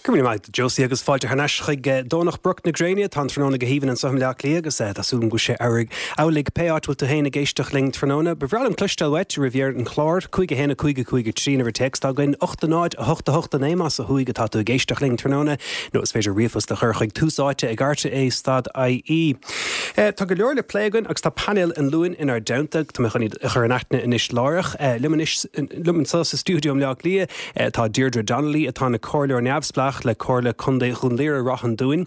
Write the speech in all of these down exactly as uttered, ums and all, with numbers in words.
Go raibh míle maith agat Josie agus fáilte thar n-ais chuig Domhnach Broc na Gréine tá an tráthnóna go haoibhinn anseo i mBleá Cliath agus tá súil agam go bhfuil sé amhlaidh pé áit bhfuil tú féin ag éisteacht linn tráthnóna. Ba bhreá liom cloisteáil uait roimh dheireadh an chláir, cúig a haon a cúig a cúig a trí uimhir téacs atá againn, ocht a náid a hocht a hocht a naoi más ó thuaidh atá tú ag éisteacht linn tráthnóna, nó is féidir ríomhphost a chur chuig tús áite ag rte stad IE. Tá go leor le plé againn agus tá painéal an Luain inár dteannta, tá mé chun iad a chur in aithne anois láithreach. Liom anois liom anseo sa stiúideo i mBleá Cliath tá Deirdre Donnelly atá ina comhairleoir neamhspleách le Comhairle Contae Dhún Laoghaire Ráth an Dúin,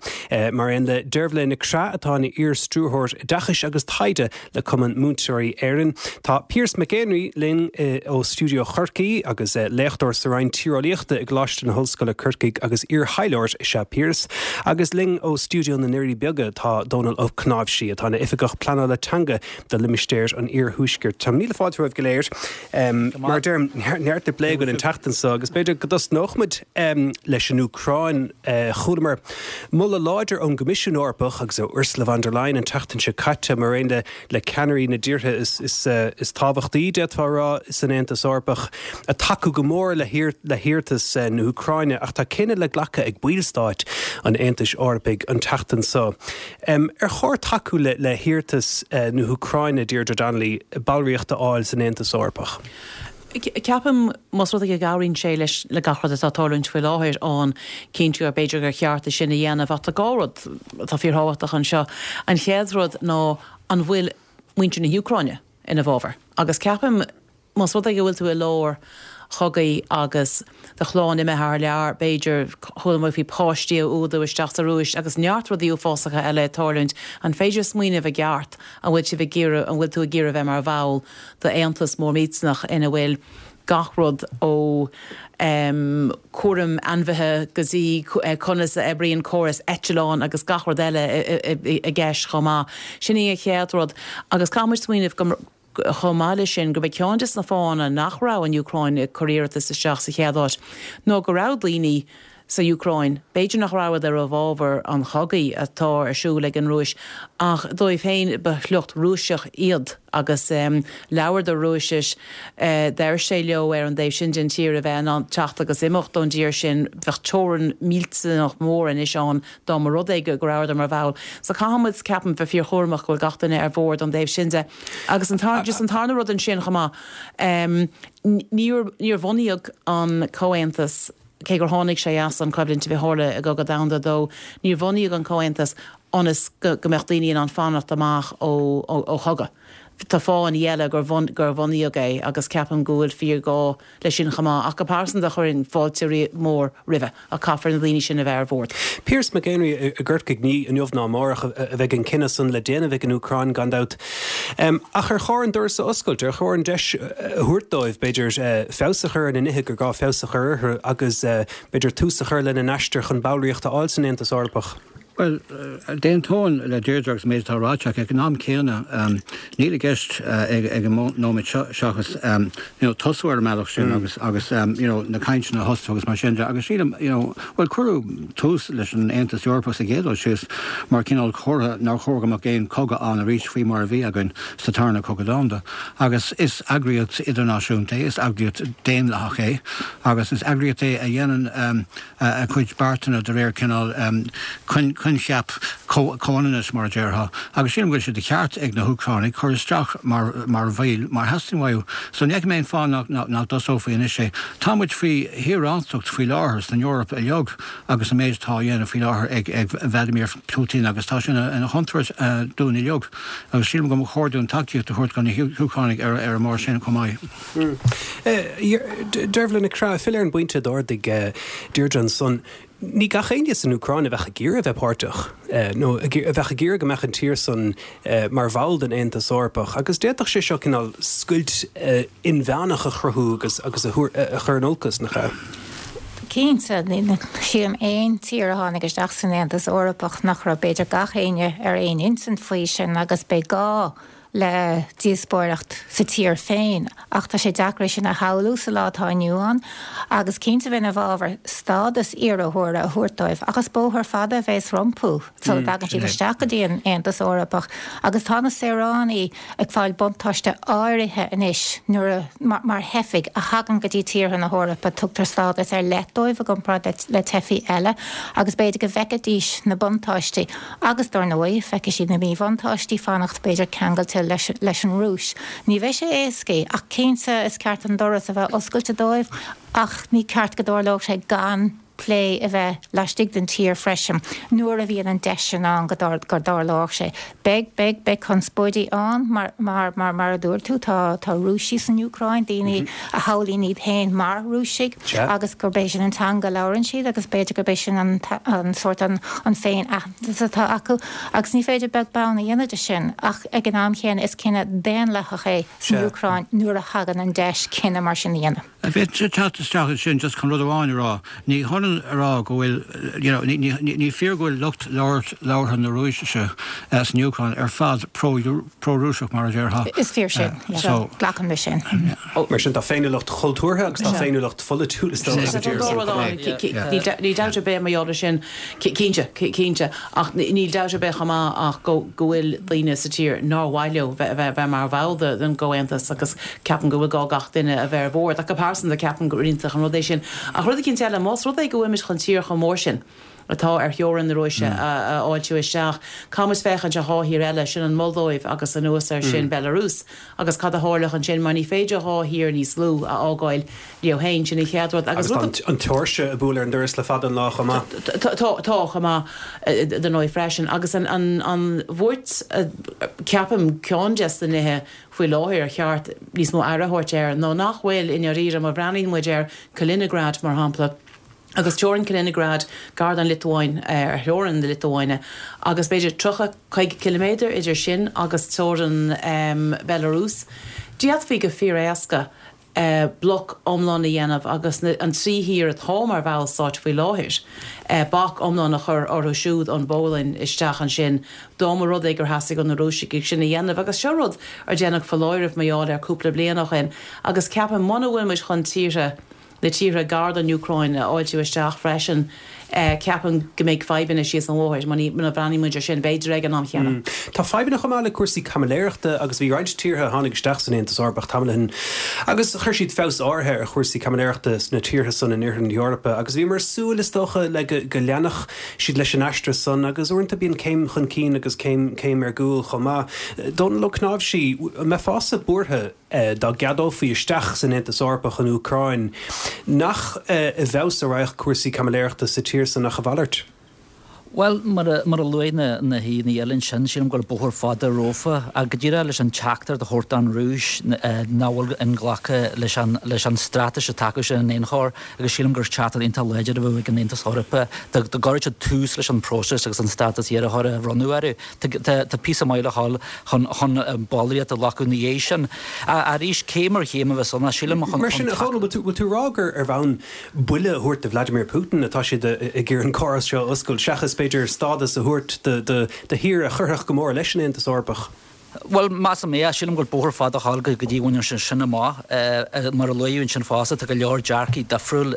mar aon le Deirbhile Nic Craith atá ina iar-stiúrthóir oideachais agus taighde le Cumann Múinteoirí Éireann. Tá Pearse McEnry linn ó stiúideo Chorcaí agus léachtóir sa Roinn Tíreolaíochta i gColáiste na hOllscoile Corcaigh agus iar-thaidhleoir is ea Pearse, agus linn ó stiúideo na nDoirí Beaga tá Dónal Ó Cnáimhsí atá ina oifigeach pleanála teanga do limistéar an iarthuaiscirt. Tá míle fáilte romhaibh go léir. Mar a deirim neart le plé againn an tseachtain seo agus b'fhéidir go dtosnódh muid leis an Úcráin. Chualamar moladh láidir ón gCoimisiún Eorpach agus ó Ursula von der Leyen an tseachtain seo caite mar aon le le ceannairí na dtíortha is, is, is tábhachtaí d'fhéadfá a rá san Aontas Eorpach ag tacú go mór le le hiarratas na hÚcráine ach tá cinneadh le glacadh ag ballstáit an Aontais Eorpaigh an tseachtain seo. Um, ar chóir tacú le, le hiarratas uh, na hÚcráine Deirdre Donnelly ballraíocht a fháil san Aontas Eorpach. Ceapaim más rud é go gcabhraíonn sé leis le gach rud atá ag tarlúint faoi láthair ann cinnte gur b'fhéidir gur cheart é sin a dhéanamh ach tá dhá rud atá fíorthábhachtach anseo. An chéad rud ná an bhfuil muintir na hÚcráine ina bhfabhar. Agus ceapaim más rud é go bhfuil tú i lár chogaidh agus do chlann imithe thar lear, b'fhéidir chuala muid faoi páistí a fhuadú isteach sa Rúis agus neart rudaí uafásacha eile ag tarlúint, an féidir smaoineamh i gceart an bhfuil sibh ag iarraidh an bhfuil tú ag iarraidh bheith mar bhall d'Aontas mór millteanach ina bhfuil gach rud ó um, cúram ainmhithe go dtí conas a oibríonn córas eitleán agus gach rud eile i gceist chomh maith. Sin í an chéad rud agus caithfidh muid smaoineamh go chomh maith leis sin go mbeidh ceann de na fáthanna nach raibh an Úcráin ag cur iarratas isteach sa chéad áit nó go raibh daoine sa Úcráin. B'fhéidir nach raibh ar a bhfabhar an chogaidh atá ar siúl ag an Rúis ach dóibh féin ba shliocht Rúiseach iad agus um, labhradar Rúisis uh, deir sé leo ar an dtaobh sin den tír a bheith an teacht agus imeacht ón dtír sin bheadh teorainn millteanach mór anois ann dá mba rud é go rabhadar mar bhall. So caithfimid ceapaim bheith fíorchúramach go bhfuil gach duine ar bord an dtaobh sin de. Agus an tar just an tarna rud ansin chomh maith um, níor níor bunaíodh an comhaontas cé gur tháinig sé as an choimhlint a bhí tharla i gCogadh Domhanda dó, níor bunaíodh an comhaontas ionas go, go mbeadh daoine in ann fanacht amach ó, ó, ó chogadh. Tá fáthanna eile gur bhun, gur bunaíodh é agus ceapaim go bhfuil fíorghá leis sin chomh maith ach go pearsanta chuirfinn fáilte mór roimhe ach caithfear na daoine sin a bheith ar bord. Pearse McEnry i gCorcaigh ní inniu ná amárach a bheidh an cinneadh san le déanamh ag an Úcráin gan dabht. Um, ach ar chóir an doras a oscailt ar chóir an deis a thabhairt dóibh b'fhéidir uh, feabhas a chur ar na nithe gur gá feabhas a chur orthu agus uh, b'fhéidir tús a chur lena n-aistear chun ballraíocht a fháil san Aontas Eorpach. Well, d'aontóinn le Deirdre agus méid atá ráite ag an am céanna níl i gceist ag ag an nóiméad seachas tosú ar an mbealach sin agus agus you know, na cainteanna a thosú agus mar sin de agus sílim you know, well cuireadh tús leis an Aontas Eorpach sa gcéad síos mar cineál comhartha nár chóir go mbeadh aon chogadh ann arís faoi mar a bhí againn sa tarna cogadh domhanda. Agus is eagraíocht idirnáisiúnta é, is eagraíocht daonlathach é, agus is eagraíocht é a dhéanann um, a cuid beartanna de réir cineál um, coincheap comhionannais mar a déarfá, agus sílim go bhfuil sé de cheart ag na hÚcránaigh cur isteach mar mar bhaill mar theastaíonn uathu. So ní mé fá nach nach dtosófaí anois é. Tá muid faoi thíorántacht faoi láthair san Eoraip uilig agus an méid atá á dhéanamh faoi láthair ag ag Vladimir Putin agus tá sin ina chontúirt dúinn uilig agus sílim go mba chóir dúinn tacaíocht a thabhairt do na hÚcránaigh ar ar an mbarr sin chomh maith. Deirbhile Nic Craith filleadh ar an bpointe a d'ardaigh Deirdre ansan. Ní gach éinne san Úcráin a bheadh ag iarraidh a bheith páirteach nó a bheadh ag iarraidh go mbeadh an tír san mar bhall den Aontas Eorpach, agus d'fhéadfadh sé seo cineál scoilt inmheánach a chruthú agus agus a chur in olcas nach ea? Cinnte sílim aon tír a tháinig isteach san Aontas Eorpach nach raibh b'fhéidir gach éinne ar aon intinn faoi sin agus beidh gá le díospóireacht sa tír féin, ach tá sé deacair é sin a shamhlú sa lá atá inniu ann, agus cinnte bheinn i bhfabhar stádas iarrthóra a thabhairt dóibh, ach is bóthar fada a bheas rompu sula dtagann siad isteach go dtí an Aontas Eorpach, agus tá na saoránaigh ag fáil buntáiste áirithe anois nuair a, mar theifigh a thagann go dtí tíortha na hEorpa, tugtar stádas ar leith dóibh i gcomparáid le teifigh eile, agus b'fhéidir go bhfeicfidís na buntáistí, agus dar ndóigh, feicfidh siad na míbhuntáistí, fanacht b'fhéidir ceangailte leis leis an Rúis. Ní bheidh sé éasca, ach cinnte is ceart an doras a bheith oscailte dóibh, ach ní ceart go dtarlódh sé gan plé a bheith laistigh den tír freisin nuair a bhíonn an deis sin ann go dtarlódh sé. Beidh, beidh, beidh conspóidí ann mar, mar, mar, mar a dúirt tú, tá, tá Rúisigh san Úcráin, daoine a shamhlaíonn iad féin mar Rúisigh agus gurb é sin an teanga a labhrann siad agus b'fhéidir gurb é sin an, an sórt an, an féin-aitheantas atá acu agus ní féidir beag beann a dhéanamh de sin ach ag an am chéanna is cinneadh daonlathach é san Úcráin nuair a thagann an deis cinneadh mar sin a dhéanamh. An bhféadfainnse teacht isteach ansin just chun rud amháin a rá? Ní hionann a rá go bhfuil, you know, ní, ní, ní fíor go bhfuil lucht labhartha na Rúisise san Úcráin ar fad pro-Rúiseach mar a déarfá. Is fíor sin, yeah. So, glacaim leis sin. Mar sin tá féiniúlacht chultúrtha agus tá féiniúlacht pholaitiúil is dócha sa tír san. Níl dabht ar bith mar gheall air sin, cinnte, cinnte, ach níl dabht ar bith chomh maith ach go go bhfuil daoine sa tír nár mhaith leo bheith bheith mar bhall den gComhaontas agus ceapaim go bhfuil gá gach duine a bheith ar bhord. Ach go pearsanta ceapaim gur iontach an rud é sin. Ach rud eicínt eile, más rud é go bhfuilimid chun tír chomh mór sin atá ar theorainn na Rúise a fháiltiú isteach, caithfimid féachaint ar dhá thír eile, sin an Mholdóiv agus anuas air sin Belarus, agus cad a tharlódh ansin mar ní féidir dhá thír níos lú a fhágáil leo féin, sin an chéad rud. Agus tá an tSeoirsia ag bualadh ar an doras le fada an lá chomh maith. Tá, chomh maith, dar ndóigh freisin. Agus an bhuairt, ceapaim, ceann des na nithe faoi láthair ar cheart níos mó aire a thabhairt air ná nach bhfuil, i ndáiríre, má bhreathnaíonn muid ar Kaliningrad, mar shampla, agus teorainn Kaliningrad gar don Liotuáin, ar theorainn na Liotuáine, agus b'fhéidir tríocha, caoga ciliméadar idir sin agus teorainn Belarus, d'fhéadfaí go fíor-éasca bloc iomlán a dhéanamh agus an trí thír atá mar bhallstáit faoi láthair, bac iomlán a chur orthu siúd ón bPólainn isteach ansin dá mba rud é gur theastaigh ó na Rúisigh sin a dhéanamh. Agus seo rud ar déanadh foláireamh mar gheall air cúpla bliain ó shin agus ceapaim muna bhfuil muid chun tíortha na tíortha gar don Úcráin a fháiltiú isteach freisin, ceapaim go mbeidh fadhbanna síos an bhóthar muna bhreathnaíonn muid air sin, b'fhéidir ag an am chéanna. Tá fadhbanna chomh maith le cúrsaí caimiléireachta agus bhí roinnt tíortha a tháinig isteach san Aontas Eorpach tamall ó shin agus chuir siad feabhas áirithe ar chúrsaí caimiléireachta sna tíortha san in oirthear na hEorpa agus bhíomar ag súil, is dócha, le go leanfadh siad leis an aistear san agus uaireanta bíonn céim chun cinn agus céim céim ar gcúl chomh maith. Dónall Ó Cnáimhsí, an mbeifeása buartha dá gceadófaí isteach san Aontas Eorpach an Úcráin, nach i bhfeabhas a raghadh cúrsaí caimiléireachta sa tír san ach a mhalairt? Bhuel, mar a luaigh na haíonna eile ansin, sílim go bhfuil bóthar fada rompu ach go díreach leis an teachtaireacht a thabhairt don Rúis nach bhfuil inghlactha leis an leis an straitéis atá acu sin in aon chor agus sílim gur teachtaireacht iontach láidir a bheadh ag an Aontas Eorpach dá gcuirfeadh siad tús leis an bpróiseas agus an stádas iarrthóra a bhronnadh orthu. Tá píosa maith le dhul chun chun ballraíocht a ghlacadh ina dhiaidh sin. Arís, céim ar chéim a bheas ann, sílim, chun. Mar sin, a Dhónaill, bhfuil tú ag rá gur ar bhonn buille a thabhairt do Vladimir Putin atá siad ag iarraidh an córas seo a oscailt, seachas, b'fhéidir, stádas a thabhairt do thír a chuirfeadh go mór leis an Aontas Eorpach? Bhuel, measaim é. Sílim go bhfuil bóthar fada a ghabháil go dtí go mbainfear sin amach. Mar a luadh ansin fosta, tá go leor dearcaí difriúil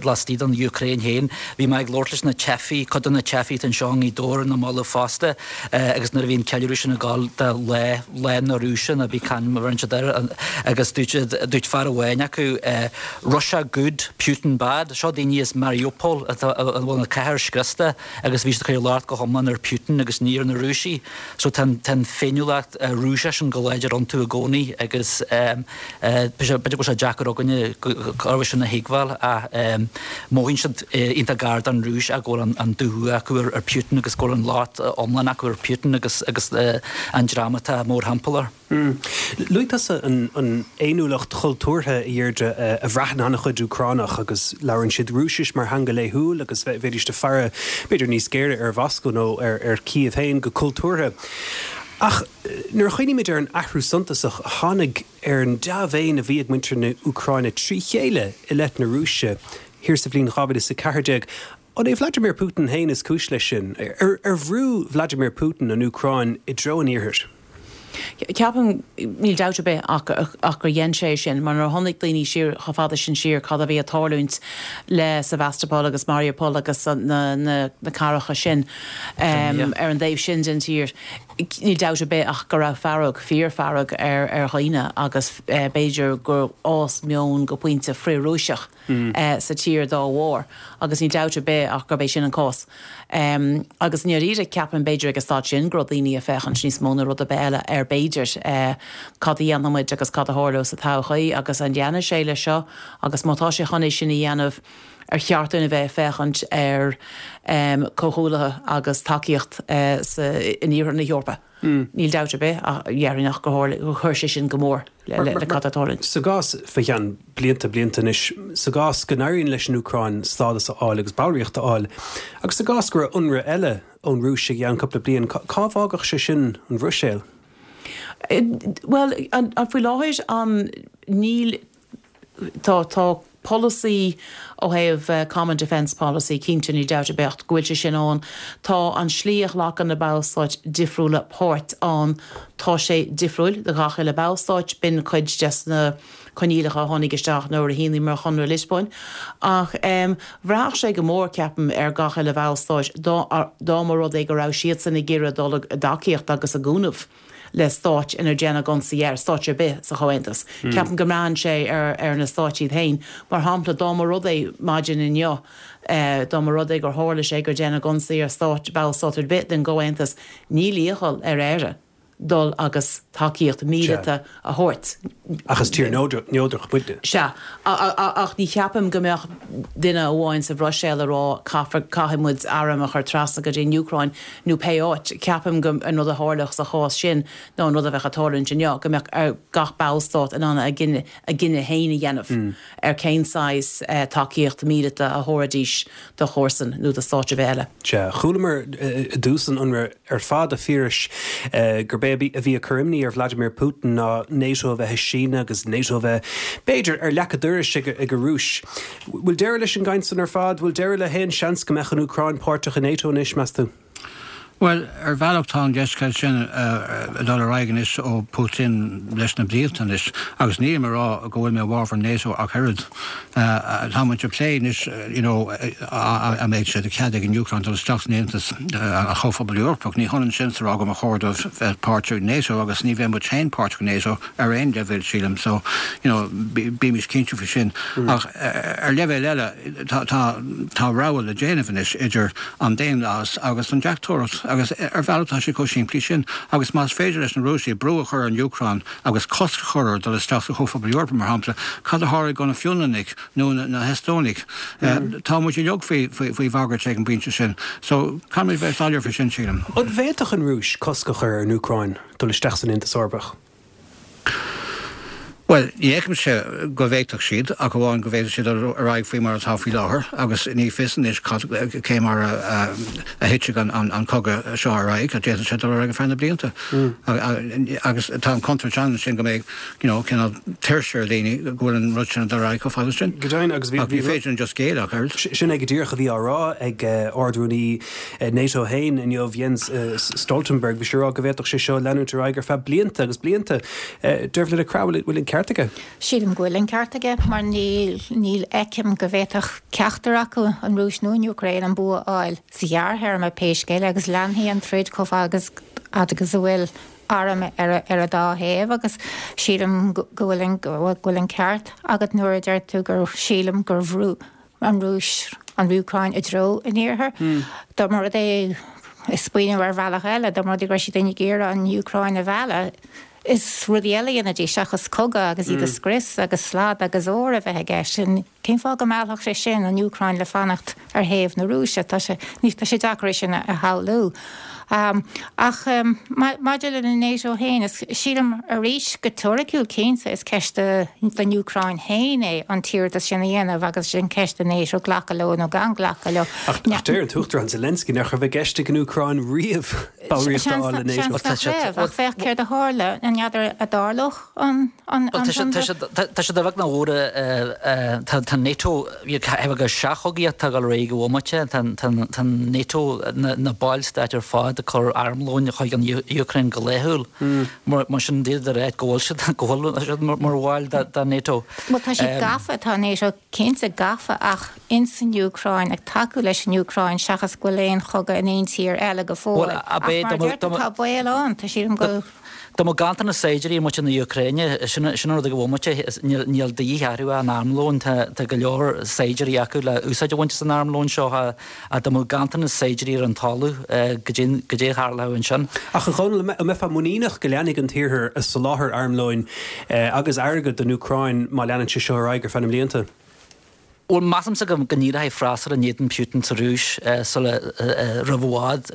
laistigh den Úcráin féin. Bhí mé ag labhairt leis na teifigh, cuid de na teifigh atá anseo i nGaoth Dobhair ar na mallaibh fosta, agus nuair a bhí an ceiliúradh sin ag gabháil do lá, Lá na Rúise nó pé ainm a bheireann siad air, agus dúirt siad, dúirt fear amháin acu, Russia good, Putin bad. Seo daoine as Mariupol atá, a bhfuil an chathair scriosta agus bhí siad ag cur locht go hiomlán ar Putin agus ní ar na Rúisigh. So tá an féiniúlacht Rúiseach sin go láidir iontu i gcónaí agus b'fhéidir go bhfuil sé deacair againne gurb sin a thuigbheáil ach mothaíonn siad iontach gar don Rúis ach go bhfuil an dúshaothrú acu ar Putin agus go bhfuil an locht iomlán acu ar Putin agus an dream atá mórthimpeall air. Luaigh tusa an fhéiniúlacht chultúrtha, a Dheirdre, a bhraitheann an-chuid Úcránach agus labhrann siad Rúisis mar theanga laethúil agus bheidís ag faire b'fhéidir níos géire ar Mhoscó nó ar Kiev féin go cultúrtha. Ach nuair a chuimhnímid ar an athrú suntasach a tháinig ar an dea-mhéin a bhí ag muintir na Úcráine trí chéile i leith na Rúise thiar sa bhliain dhá mhíle is a ceathair déag, An é Vladimir Putin féin is cúis leis sin? Ar bhrú Vladimir Putin an Úcráin i dtreo an Iarthair? Ceapaim, níl dabht ar bith ach ach gur dhein sé sin, mar nuair a chonaic daoine siar chomh fada sin siar cad a bhí ag tarlúint le Sevastopol agus Mariupol agus na na na cathracha sin ar an dtaobh sin den tír, níl dabht ar bith ach go raibh fearg, fíor-fhearg ar ar dhaoine agus b'fhéidir gur fhás meon go pointe frith-Rúiseach sa tír dá bharr agus níl dabht ar bith ach gurb é sin an cás. Agus i ndáiríre, ceapaim, b'fhéidir ag an staid sin go raibh daoine ag féachaint níos mó ná rud ar bith eile ar b'fhéidir cad a dhéanfaidh muid agus cad a tharlódh sa todhchaí agus an ndéanfaidh sé leis seo agus má tá sé chun é sin a dhéanamh ar cheart dúinn a bheith ag féachaint ar comhghuaillithe agus tacaíocht in iarthar na hEorpa. Níl dabht ar bith ach déarfainn ach gur chuir sé sin go mór le cad atá ag tarlúint. Sa gcás, fá cheann blianta, blianta anois, sa gcás go n-éiríonn leis an Úcráin stádas a fháil agus ballraíocht a fháil, agus sa gcás go raibh ionradh eile ón Rúis i gceann cúpla bliain, cá bhfágfadh sé sin an Bhruiséil? Bhuel, faoi láthair, níl, tá, tá polasaí ó thaobh Common Defence Policy, cinnte, níl dabht ar bith ach go bhfuil sé sin ann. Tá an slí a ghlacann na ballstáit difriúla páirt ann, tá sé difriúil do gach uile ballstáit, b'in cuid des na coinníollacha a tháinig isteach nuair a shíníomar Chonradh Liospóin. Ach bhraithfeadh sé go mór, ceapaim, ar gach uile bhallstáit dá dá mba rud é go raibh siadsan ag iarraidh dul i dtacaíocht agus i gcúnamh le stáit inar déanadh ionsaí air, stáit ar bith sa Chomhaontas. Ceapaim go mbraitheann sé ar ar na stáit iad féin. Mar shampla, dá mba rud é maidin inniu, dá mba rud é gur tharla sé gur déanadh ionsaí ar stát, ballstát ar bith den gComhaontas, níl iachall ar Éire dul agus tacaíocht mhíleata a thabhairt. Ach is tír neodrach muidne. Sea. Ach ní cheapaim go mbeadh duine amháin sa Bhruiséil ag rá caithfear, caithfidh muid airm a chur trasna go dtí an Úcráin nó pé áit. Ceapaim go an rud a tharlódh sa chás sin ná an rud a bheadh ag tarlúint inniu, go mbeadh ar gach ballstát in ann a gcinneadh a gcinneadh féin a dhéanamh ar cén saghas tacaíocht mhíleata a thabharfaidís do chomharsan nó do stát ar bith eile. Sea, chualamar i dtús an ionraidh ar fad, a Phiarais, gurb é a bhí ag cur imní ar Vladimir Putin ná NATO a bheith ag síneadh agus NATO a bheith, b'fhéidir, ar leac an dorais ag an Rúis. Bhfuil deireadh leis an gcaint san ar fad? Bhfuil deireadh le haon seans go mbeadh an Úcráin páirteach i NATO anois, meas tú? Bhuel, ar bhealach tá an deisceal sin ag dul ar aghaidh anois ó Putin leis na blianta anois agus nílim ag rá go bhfuil mé i bhfabhar NATO ach oiread. Tá muid ag plé anois you know an mbeidh sé de chead ag an Úcráin dul isteach san Aontas, an Chomhphobal Eorpach. Ní hionann sin is a rá go mba chóir dóibh bheith páirteach i NATO agus ní bheidh muid féin páirteach i NATO ar aon leibhéal sílim so you know bímis cinnte faoi sin. Ach ar leibhéal eile tá tá tá rogha le déanamh anois idir an daonlathas agus an deachtóireacht agus ar bhealach tá sé chomh simplí sin agus más féidir leis na Rúisigh brú a chur ar an Úcráin agus cosc a chur air dul isteach sa Chomhphobal Eorpach mar shampla, cad a tharlóidh do na Fionlannaigh nó na hEastónaigh? Tá muid uilig faoi faoi bhagairt ag an bpointe sin so caithfimid bheith soiléir faoi sin sílim. An bhféadfadh an Rúis cosc a chur ar an Úcráin dul isteach san Aontas Eorpach? Bhuel, ní fheicimse go bhféadfadh siad, ach amháin go bhféadfadh siad dul ar aghaidh faoi mar atá faoi láthair agus ní fios anois cad, cé mar a thitfidh an cogadh seo ar aghaidh, d'fhéadfadh sé dul ar aghaidh ar feadh na blianta. Agus tá an chontúirt ann ansin go mbeidh, you know, cineál tuirse ar dhaoine go bhfuil an rud sin ag dul ar aghaidh chomh fada sin. Go deimhin, agus bhí, Ach ní féidir linn just géilleadh ach oiread. Sin é go díreach a bhí á rá ag Ard-Rúnaí NATO féin inniu, Jens Stoltenberg, bhí sé ag rá go bhféadfadh sé seo leanúint ar aghaidh ar feadh blianta agus blianta. Dervla de Craith, bhfuil an ceart aige? Sílim go bhfuil an ceart aige, mar níl, níl fheicim go bhféadfadh ceachtar acu, an Rúis nó an Úcráin, an bua a fháil sa ghearrthéarma pé scéal é agus leanfaidh an troid chomh fada agus agus a bhfuil arm ar ar an dá thaobh agus sílim go bhfuil an go bhfuil an ceart agat nuair a deir tú gur sílim gur bhrú an Rúis an Úcráin i dtreo an iarthair. Dá mba rud é, ag smaoineamh ar bhealach eile, dá mba rud é go raibh siad ag iarraidh an Úcráin a mhealladh, is rudaí eile a dhéanfaidís seachas cogadh agus iad a scrios agus slad agus ór a bheith i gceist. Cén fáth go meallfadh sé sin an Úcráin le fanacht ar thaobh na Rúise? Tá sé, tá sé deacair é sin a shamhlú. Ach maidir le NATO féin, is sílim arís go teoiriciúil cinnte is ceist don Úcráin féin é an t-iarratas sin a dhéanamh agus sin ceist do NATO glacadh leo nó gan glacadh leo. Ach deir an tUachtarán Zelensky nach raibh i gceist ag an Úcráin riamh ballraíocht a fháil le NATO. Seans nach raibh, ach féach céard a tharla, an n'fheadar an dtarlódh an Tá sé de bheag nach mór tá Tá NATO go seachchogaíocht ag dul ar aghaidh go bhomaite, tá NATO na ballstáit ar fad ag cur armlóin chuig an Úcráin go laethúil. Mar sin d'fhéadfá a rá go bhfuil siad go bhfuil siad mar bhaill de NATO. Bhuel tá siad gafa, tá NATO cinnte gafa ach ins an Úcráin ag tacú leis an Úcráin seachas go bhfuil aon chogadh in aon tír eile go fóill. Ach mar a deir tú tá baol ann, tá sílim go. Dá mbeadh ganntanas saighdiúirí ag muintir na Úcráine, sin an rud ag an bhomaite, níl de dhíth orthu an armlón, tá go leor saighdiúirí acu le úsáid a bhaint as an armlón seo ach dá mbeadh ganntanas saighdiúirí ar an talamh, goidé a tharlódh ansin. Ach a Dhónaill, an mbeifeá muiníneach go leanfaidh an tIarthar ag soláthar armlóin agus airgid don Úcráin má leanann sé seo ar aghaidh ar feadh na mblianta? Bhuel, measaimse go n-éireoidh freasúra in éadan Putin sa Rúis sula roimh i bhfad.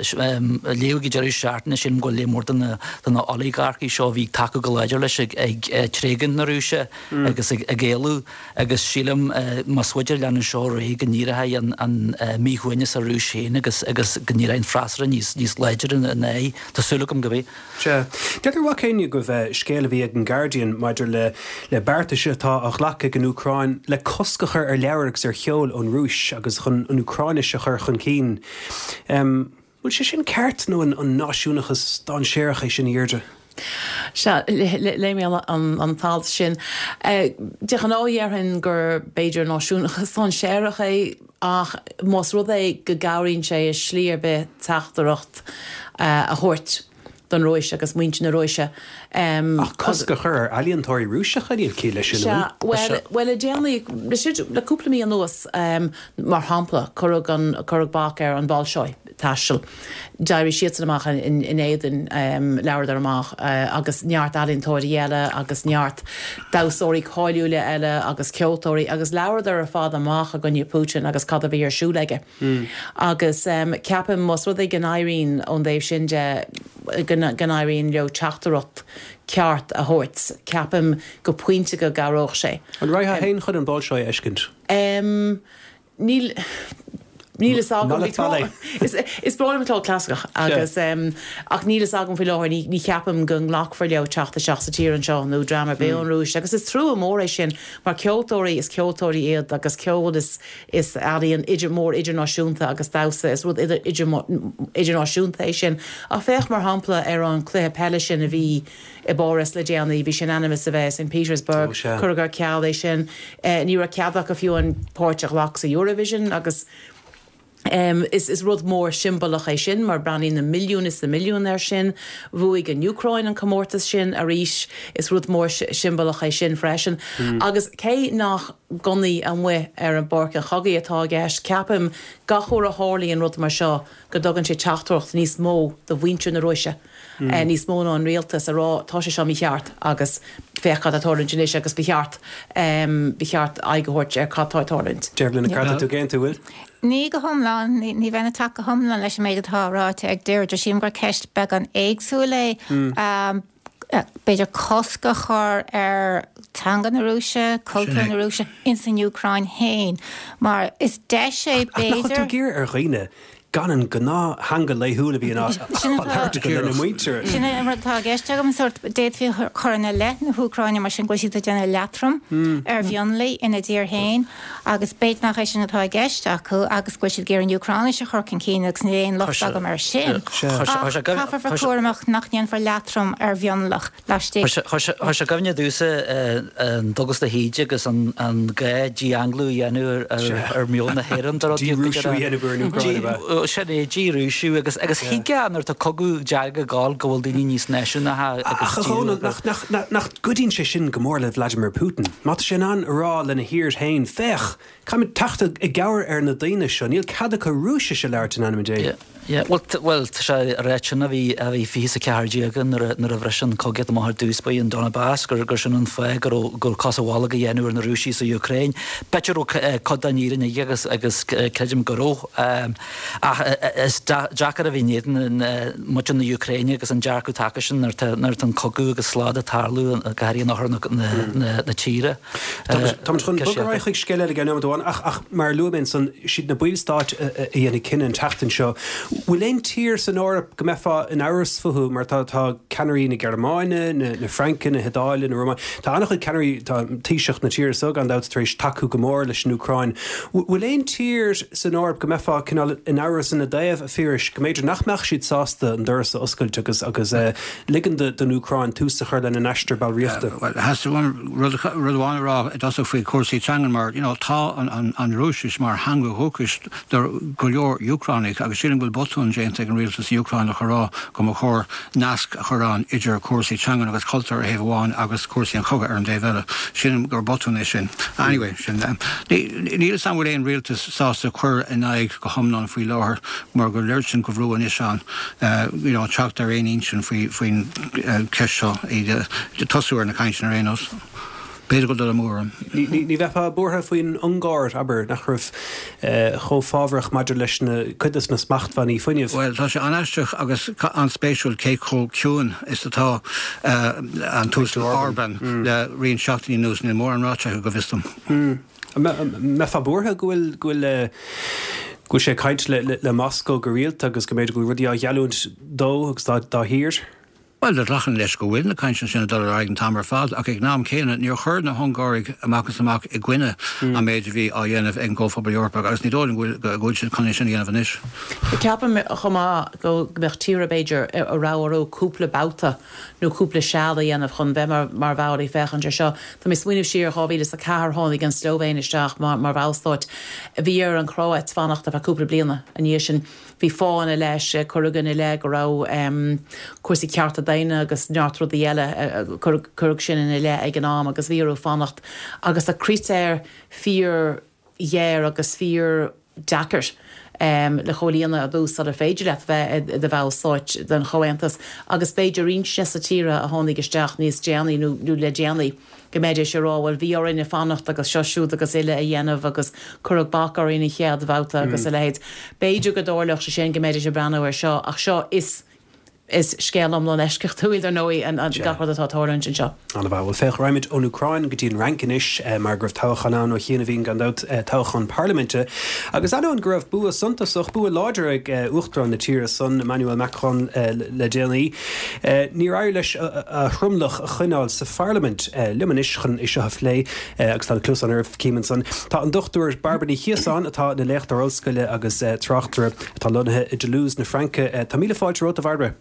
Léadh ag deireadh seachtaine, sílim go bhfuil léar mór de na de na olagarcaí seo a bhí ag tacú go láidir leis ag ag tréigean na Rúise agus ag ag éalú agus sílim más féidir leanúint seo ar aghaidh go n-éireoidh an an míshuaimhneas sa Rúis féin agus agus go n-éireoidh an freasúra níos níos láidre ina aghaidh. Tá súil agam go mbeidh. Sea. Deirtear mhac éinne agaibh scéal a bhí ag an Guardian maidir le le beartais atá á ghlacadh ag an Úcráin le cosc a chur ar leabhair agus ar cheol ón Rúis agus chun an Úcráinis a chur chun cinn. Bhfuil sé sin ceart nó an an náisiúnachas dainséarach é sin a Dheirdre? Sea, léigh mé an an t-alt sin. De ghnáth dhéarfainn gur b'fhéidir náisiúnachas dainséarach é ach más rud é go gcabhraíonn sé i slí ar bith teachtaireacht a thabhairt don Rúis agus muintir na Rúise. Ach cosc a chur ar ealaíontóirí Rúiseacha, níl ciall leis sin, an bhfuil? Sea, bhuel, le déanaí, le cúpla mí anuas, mar shampla, cuireadh an, cuireadh bac ar an Bolshoi taisteal. D'éirigh siadsan amach in éadan, labhradar amach agus neart ealaíontóirí eile agus neart damhsóirí cáiliúla eile agus ceoltóirí agus labhradar ar fad amach i gcoinne Putin agus cad a bhí ar siúl aige. Agus ceapaim más rud é go n-éiríonn ón dtaobh sin de go n-éiríonn leo teachtaireacht ceart a thabhairt, ceapaim go pointe go gcabhródh sé. An raghfá féin chun an Bolshoi a fheiscint? Níl. Níl fhios agam. Is is breá liom an ceol clasaiceach agus ach níl fhios agam faoi láthair, ní ní cheapaim go nglacfar leo teacht isteach sa tír anseo nó dream ar bith ón Rúis agus is trua mór é sin mar ceoltóirí is ceoltóirí iad agus ceol is is ealaíon idir mór idirnáisiúnta agus damhsa is rud idir idir idirnáisiúnta é sin. Ach féach mar shampla ar an cluiche peile sin a bhí i bPáras le déanaí, bhí sé in ainm is a bheith i St Petersburg, cuireadh ar ceal é sin, ní raibh cead acu fiú an páirt a ghlacadh sa Eurovision agus is is rud mór siombalach é sin mar breathnaíonn na milliúin is na milliúin air sin. Bhuaigh an Úcráin an comórtas sin arís, is rud mór siombalach é sin freisin. Agus cé nach gunnaí amuigh ar an bpáirc an chogaidh atá i gceist, ceapaim gach uair a tharlaíonn rud mar seo go dtugann sé teachtaireacht níos mó do mhuintir na Rúise, níos mó ná an rialtas, a rá tá sé seo mícheart agus féach cad atá ag tarlúint anois agus ba cheart ba cheart aghaidh a thabhairt ar cad tá ag tarlúint. Dearbhla Nic Cárthaigh, tú ag aontú, bhfuil? Ní go hiomlán, ní bheinn ag teacht go hiomlán leis an méid atá ráite ag Deirdre. Sílim gur ceist beagán éagsúil é. B'fhéidir cosc a chur ar teanga na Rúise, cultúr na Rúise ins an Úcráin féin, mar is deis é Ach nach bhfuil tú b'fhéidir. ag iarraidh ar dhaoine gan an gnáth-theanga laethúil a bhíonn á labhairt acu lena muintir. Sin é an rud atá i gceist agam, sórt, d'fhéadfaí a chur ina leith na hÚcráine mar sin go bhfuil siad ag déanamh leatrom ar mhionlaigh ina dtír féin agus b'fhéidir nach é sin atá i gceist acu agus go bhfuil siad ag iarraidh an Úcráinis a chur chun cinn agus níl aon locht agam air sin. Ach caithfear bheith cúramach nach ndéanfar leatrom ar mhionlach. laistigh. Chuir sé i gcuimhne domhsa an Dubhghlas de hÍde agus an gá dí-Anglú a dhéanamh ar mheon na hÉireann de rud Dí-Rúisiú a dhéanamh ar an Úcráin, ab ea? Sin é, dí-Rúisiú agus agus thuigfeá nuair atá cogadh dearg ag gabháil go bhfuil daoine níos náisiúnacha agus Ach a Dhónaill, nach, nach, nach, nach gcuidíonn sé sin go mór le Vladimir Putin? Má tá sé in ann a rá lena thír féin, féach, caithfimid teacht i gcabhair ar na daoine seo, níl cead acu Rúisis a labhairt in ainm Dé. Yeah, bhuel, bhuel, tá sé ag ráit sin a bhí, a bhí fiche is a ceathair déag nuair a, nuair a bhris an chogaíocht amach ar dtús, ba í an Donbas, gur, gur sin an fáth go raibh, go raibh cos an bholg a dhéanamh ar na Rúisigh sa Úcráin. B'fhéidir go raibh cuid den fhírinne aige agus, agus creidim go raibh. Ach is deacair a bheith in éadan muintir na hÚcráine agus an dearcadh atá acu sin nuair atá, nuair atá an cogadh agus slad ag tarlú, go háirithe in oirthear na, na, na, na tíre. Táimid chun bogadh ar aghaidh chuig scéal eile i gceann nóiméad amháin ach, ach mar a luaigh mé ansan, siad na ballstáit a dhéanfaidh cinneadh an tseachtain seo. Bhfuil aon tír san Eoraip go mbeifeá in amhras fúthu mar tá tá ceannairí na Gearmáine, na, na Fraince, na hIodáile, na Rómáine, tá an-chuid ceannairí tá Taoiseach na tíre seo gan dabht tar éis tacú go mór leis an Úcráin. Bhfuil aon tír san Eoraip go mbeifeá cineál in amhras ina dtaobh a Phiarais go mb'fhéidir nach mbeadh siad sásta an doras a oscailt agus agus uh, ligean don Úcráin tús a chur lena n-aistear ballraíochta. Well, theastaigh uaim rud rud amháin a rá i dtosach faoi chúrsaí teangan mar you know, tá an, an, an Rúisis mar theanga dhúchais do go leor Úcránach agus sílim go bhfuil botún déanta ag an rialtas Úcránach a rá go mba chóir nasc a chur ann idir cúrsaí teangan agus cultúr ar thaobh amháin agus cúrsaí an chogaidh ar an dtaobh eile. Sílim gur botún é sin. Anyway, sin um, níl san bhfuil aon rialtas sásta cur in aghaidh go hiomlán faoi láthair mar go léir sin go bhrú anois an uh, you know, teacht ar aon intinn faoi faoin uh, ceist seo iad tosú ar na cainteanna ar aon nós. B'fhéidir go dul mór. Ní bheifeá buartha faoin Ungáir abair nach raibh chomh fábhrach maidir leis na cuid de na smachtbhannaí fuinnimh. Well tá sé an-aisteach agus an-spéisiúil cé chomh ciúin is atá an tUasal Orban le roinnt seachtainí anuas níl mórán ráite go bhfios dom. Mbeifeá buartha go bhfuil go bhfuil go bhfuil sé ag caint le, le, le Moscó go rialta agus go mb'fhéidir go bhfuil rudaí á gheallúint dó agus dá, dá thír. Well de lachan leis go bhfuil na cainteanna sin dul ar aghaidh an t-am ar fad ach ag an am céanna níor chuir na hUngáraigh amach is amach i gcoinne an méid a bhí á dhéanamh ag an gComhphobal Eorpach agus ní dóigh go bhfuil siad chun é sin a dhéanamh anois. Ceapaim chomh maith go mbeadh tíortha b'fhéidir a raibh orthu cúpla babhta nó cúpla seal a dhéanamh chun bheith mar, mar bhall ag féachaint ar seo. Tá mé ag smaoineamh siar dhá mhíle is a ceathair tháinig an Slóivéin isteach mar, mar bhallstát. Bhí ar an Chróit fanacht ar feadh cúpla bliana ina dhiaidh sin. Bhí fána leis cuireadh ina leith go raibh um, cúrsaí cearta daonna agus neart rudaí eile cuireadh sin ina leith ag an am agus bhí orthu fanacht agus a critéir fíor ghéar agus fíor deacair um, le comhlíonadh ar dtús sula féidir leat bheith i do bhallstát den chomhaontas agus b'fhéidir roinnt de na tíortha a tháinig isteach níos déanaí nó, nó le déanaí go mbeidís ag rá bhuel bhí orainne fanacht agus seo siúd agus uile a dhéanamh agus cuireadh bac orainn an chéad bhabhta agus a leithéid. B'fhéidir go dtarlódh sé sin go mbeidís ag breathnú ar seo ach seo is is scéal iomlán eisceachtúil ar ndóigh an gach rud atá ag tarlúint anseo. Ana bhfuil féach raghaimid ón Úcráin go dtí an Fhrainc anois mar go raibh toghchán ann ó chianaibh gan dabht toghchán parlaiminte. Agus ainneoin go raibh bua suntasach bua láidir ag uachtarán na tíre san Emmanuel Macron le déanaí. Níor éirigh leis a thromlach a choinneáil sa pharlaimint liom anois chun é seo a phlé agus tá cluas an ar címan san. Tá an Dochtúir Bairbre Ní Chíosáin atá ina léachtóir ollscoile agus tráchtaire atá lonnaithe i Toulouse na Fraince Tá míle fáilte romhat a Bhairbre.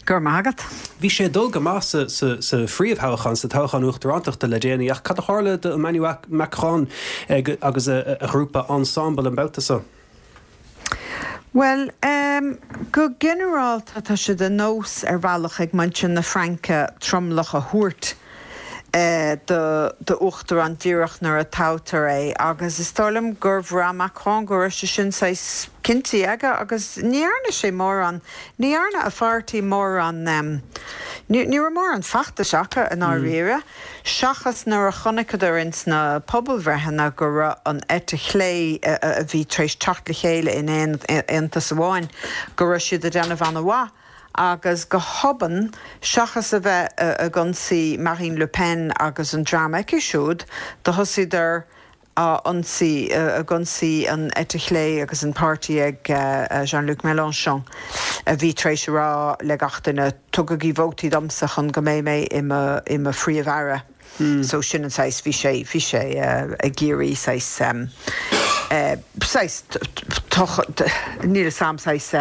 Gur magat. Bhí sé dul go maith sa, sa, sa phríomhthoghchán sa toghchán uachtarántachta le déanaí ach cad a tharla do Emmanuel Macron agus a, a ghrúpa Ensemble an babhta seo. Well, um, go ginearálta tá sé de nós ar bhealach ag muintir na Fraince tromlach a thabhairt uh, do do uachtarán díreach nuair a toghtar é agus is dóigh liom gur bhraith Macron go raibh sé sin saghas cinnte aige agus ní dhearna sé mórán ní dhearna a pháirtí mórán um, ní ní mórán feachtais acu in áiríre, seachas nuair a chonaiceadar ins na pobalbhreitheanna go raibh an eite chlé a bhí tar éis teacht le chéile in aon aontas amháin go raibh siad ag déanamh an-mhaith. agus go hobann seachas a bheith ag ionsaí Marine Le Pen agus an dream aici siúd do thosaíodar á ionsaí ag ionsaí an eite chlé agus an páirtí ag Jean-Luc Mélenchon a bhí tar éis rá le gach duine tugaigí vótaí domsa chun go mbeidh mé i mo phríomh-aire. Mm. So sin an saghas bhí sé bhí sé ag iarraidh saghas saghas níl sam saghas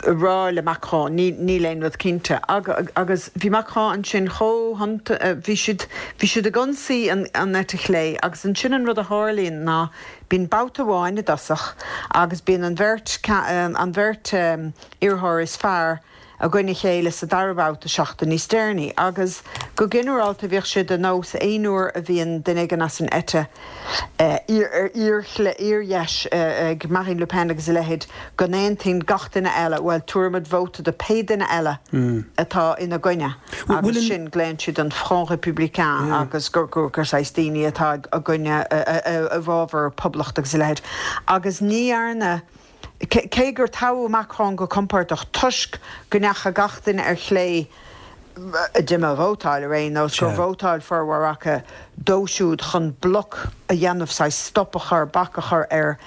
rá le Macron níl aon rud cinnte agus bhí Macron ansin chomh bhí siad bhí siad ag ionsaí an an eite chlé agus ansin an rud a tharlaíonn ná bíonn babhta amháin i dtosach agus bíonn an bheirt an bheirt iarrthóir is fearr i gcoinne a chéile sa dara babhta seachtain níos deireanaí agus go ginearálta bhíodh sé de nós aon uair a bhíonn duine éigin as an eite fhíordheis ag Marine Le Pen agus a leithéid go n-aontaíonn gach duine eile bhuel tabharfaimid vóta do pé duine eile atá ina gcoinne agus sin glaonn siad an Front Républicain agus gur gur gur saghas daoine atá i gcoinne i bhfabhar poblacht agus a leithéid agus ní dhearna Cé gur toghadh Macron go compordach toisc go ndeachaigh gach duine ar chlé a d'imigh a vótáil ar aon nós, gur vótáil formhór acu dó siúd chun bloc a dhéanamh, saghas stop a chur, bac a chur ar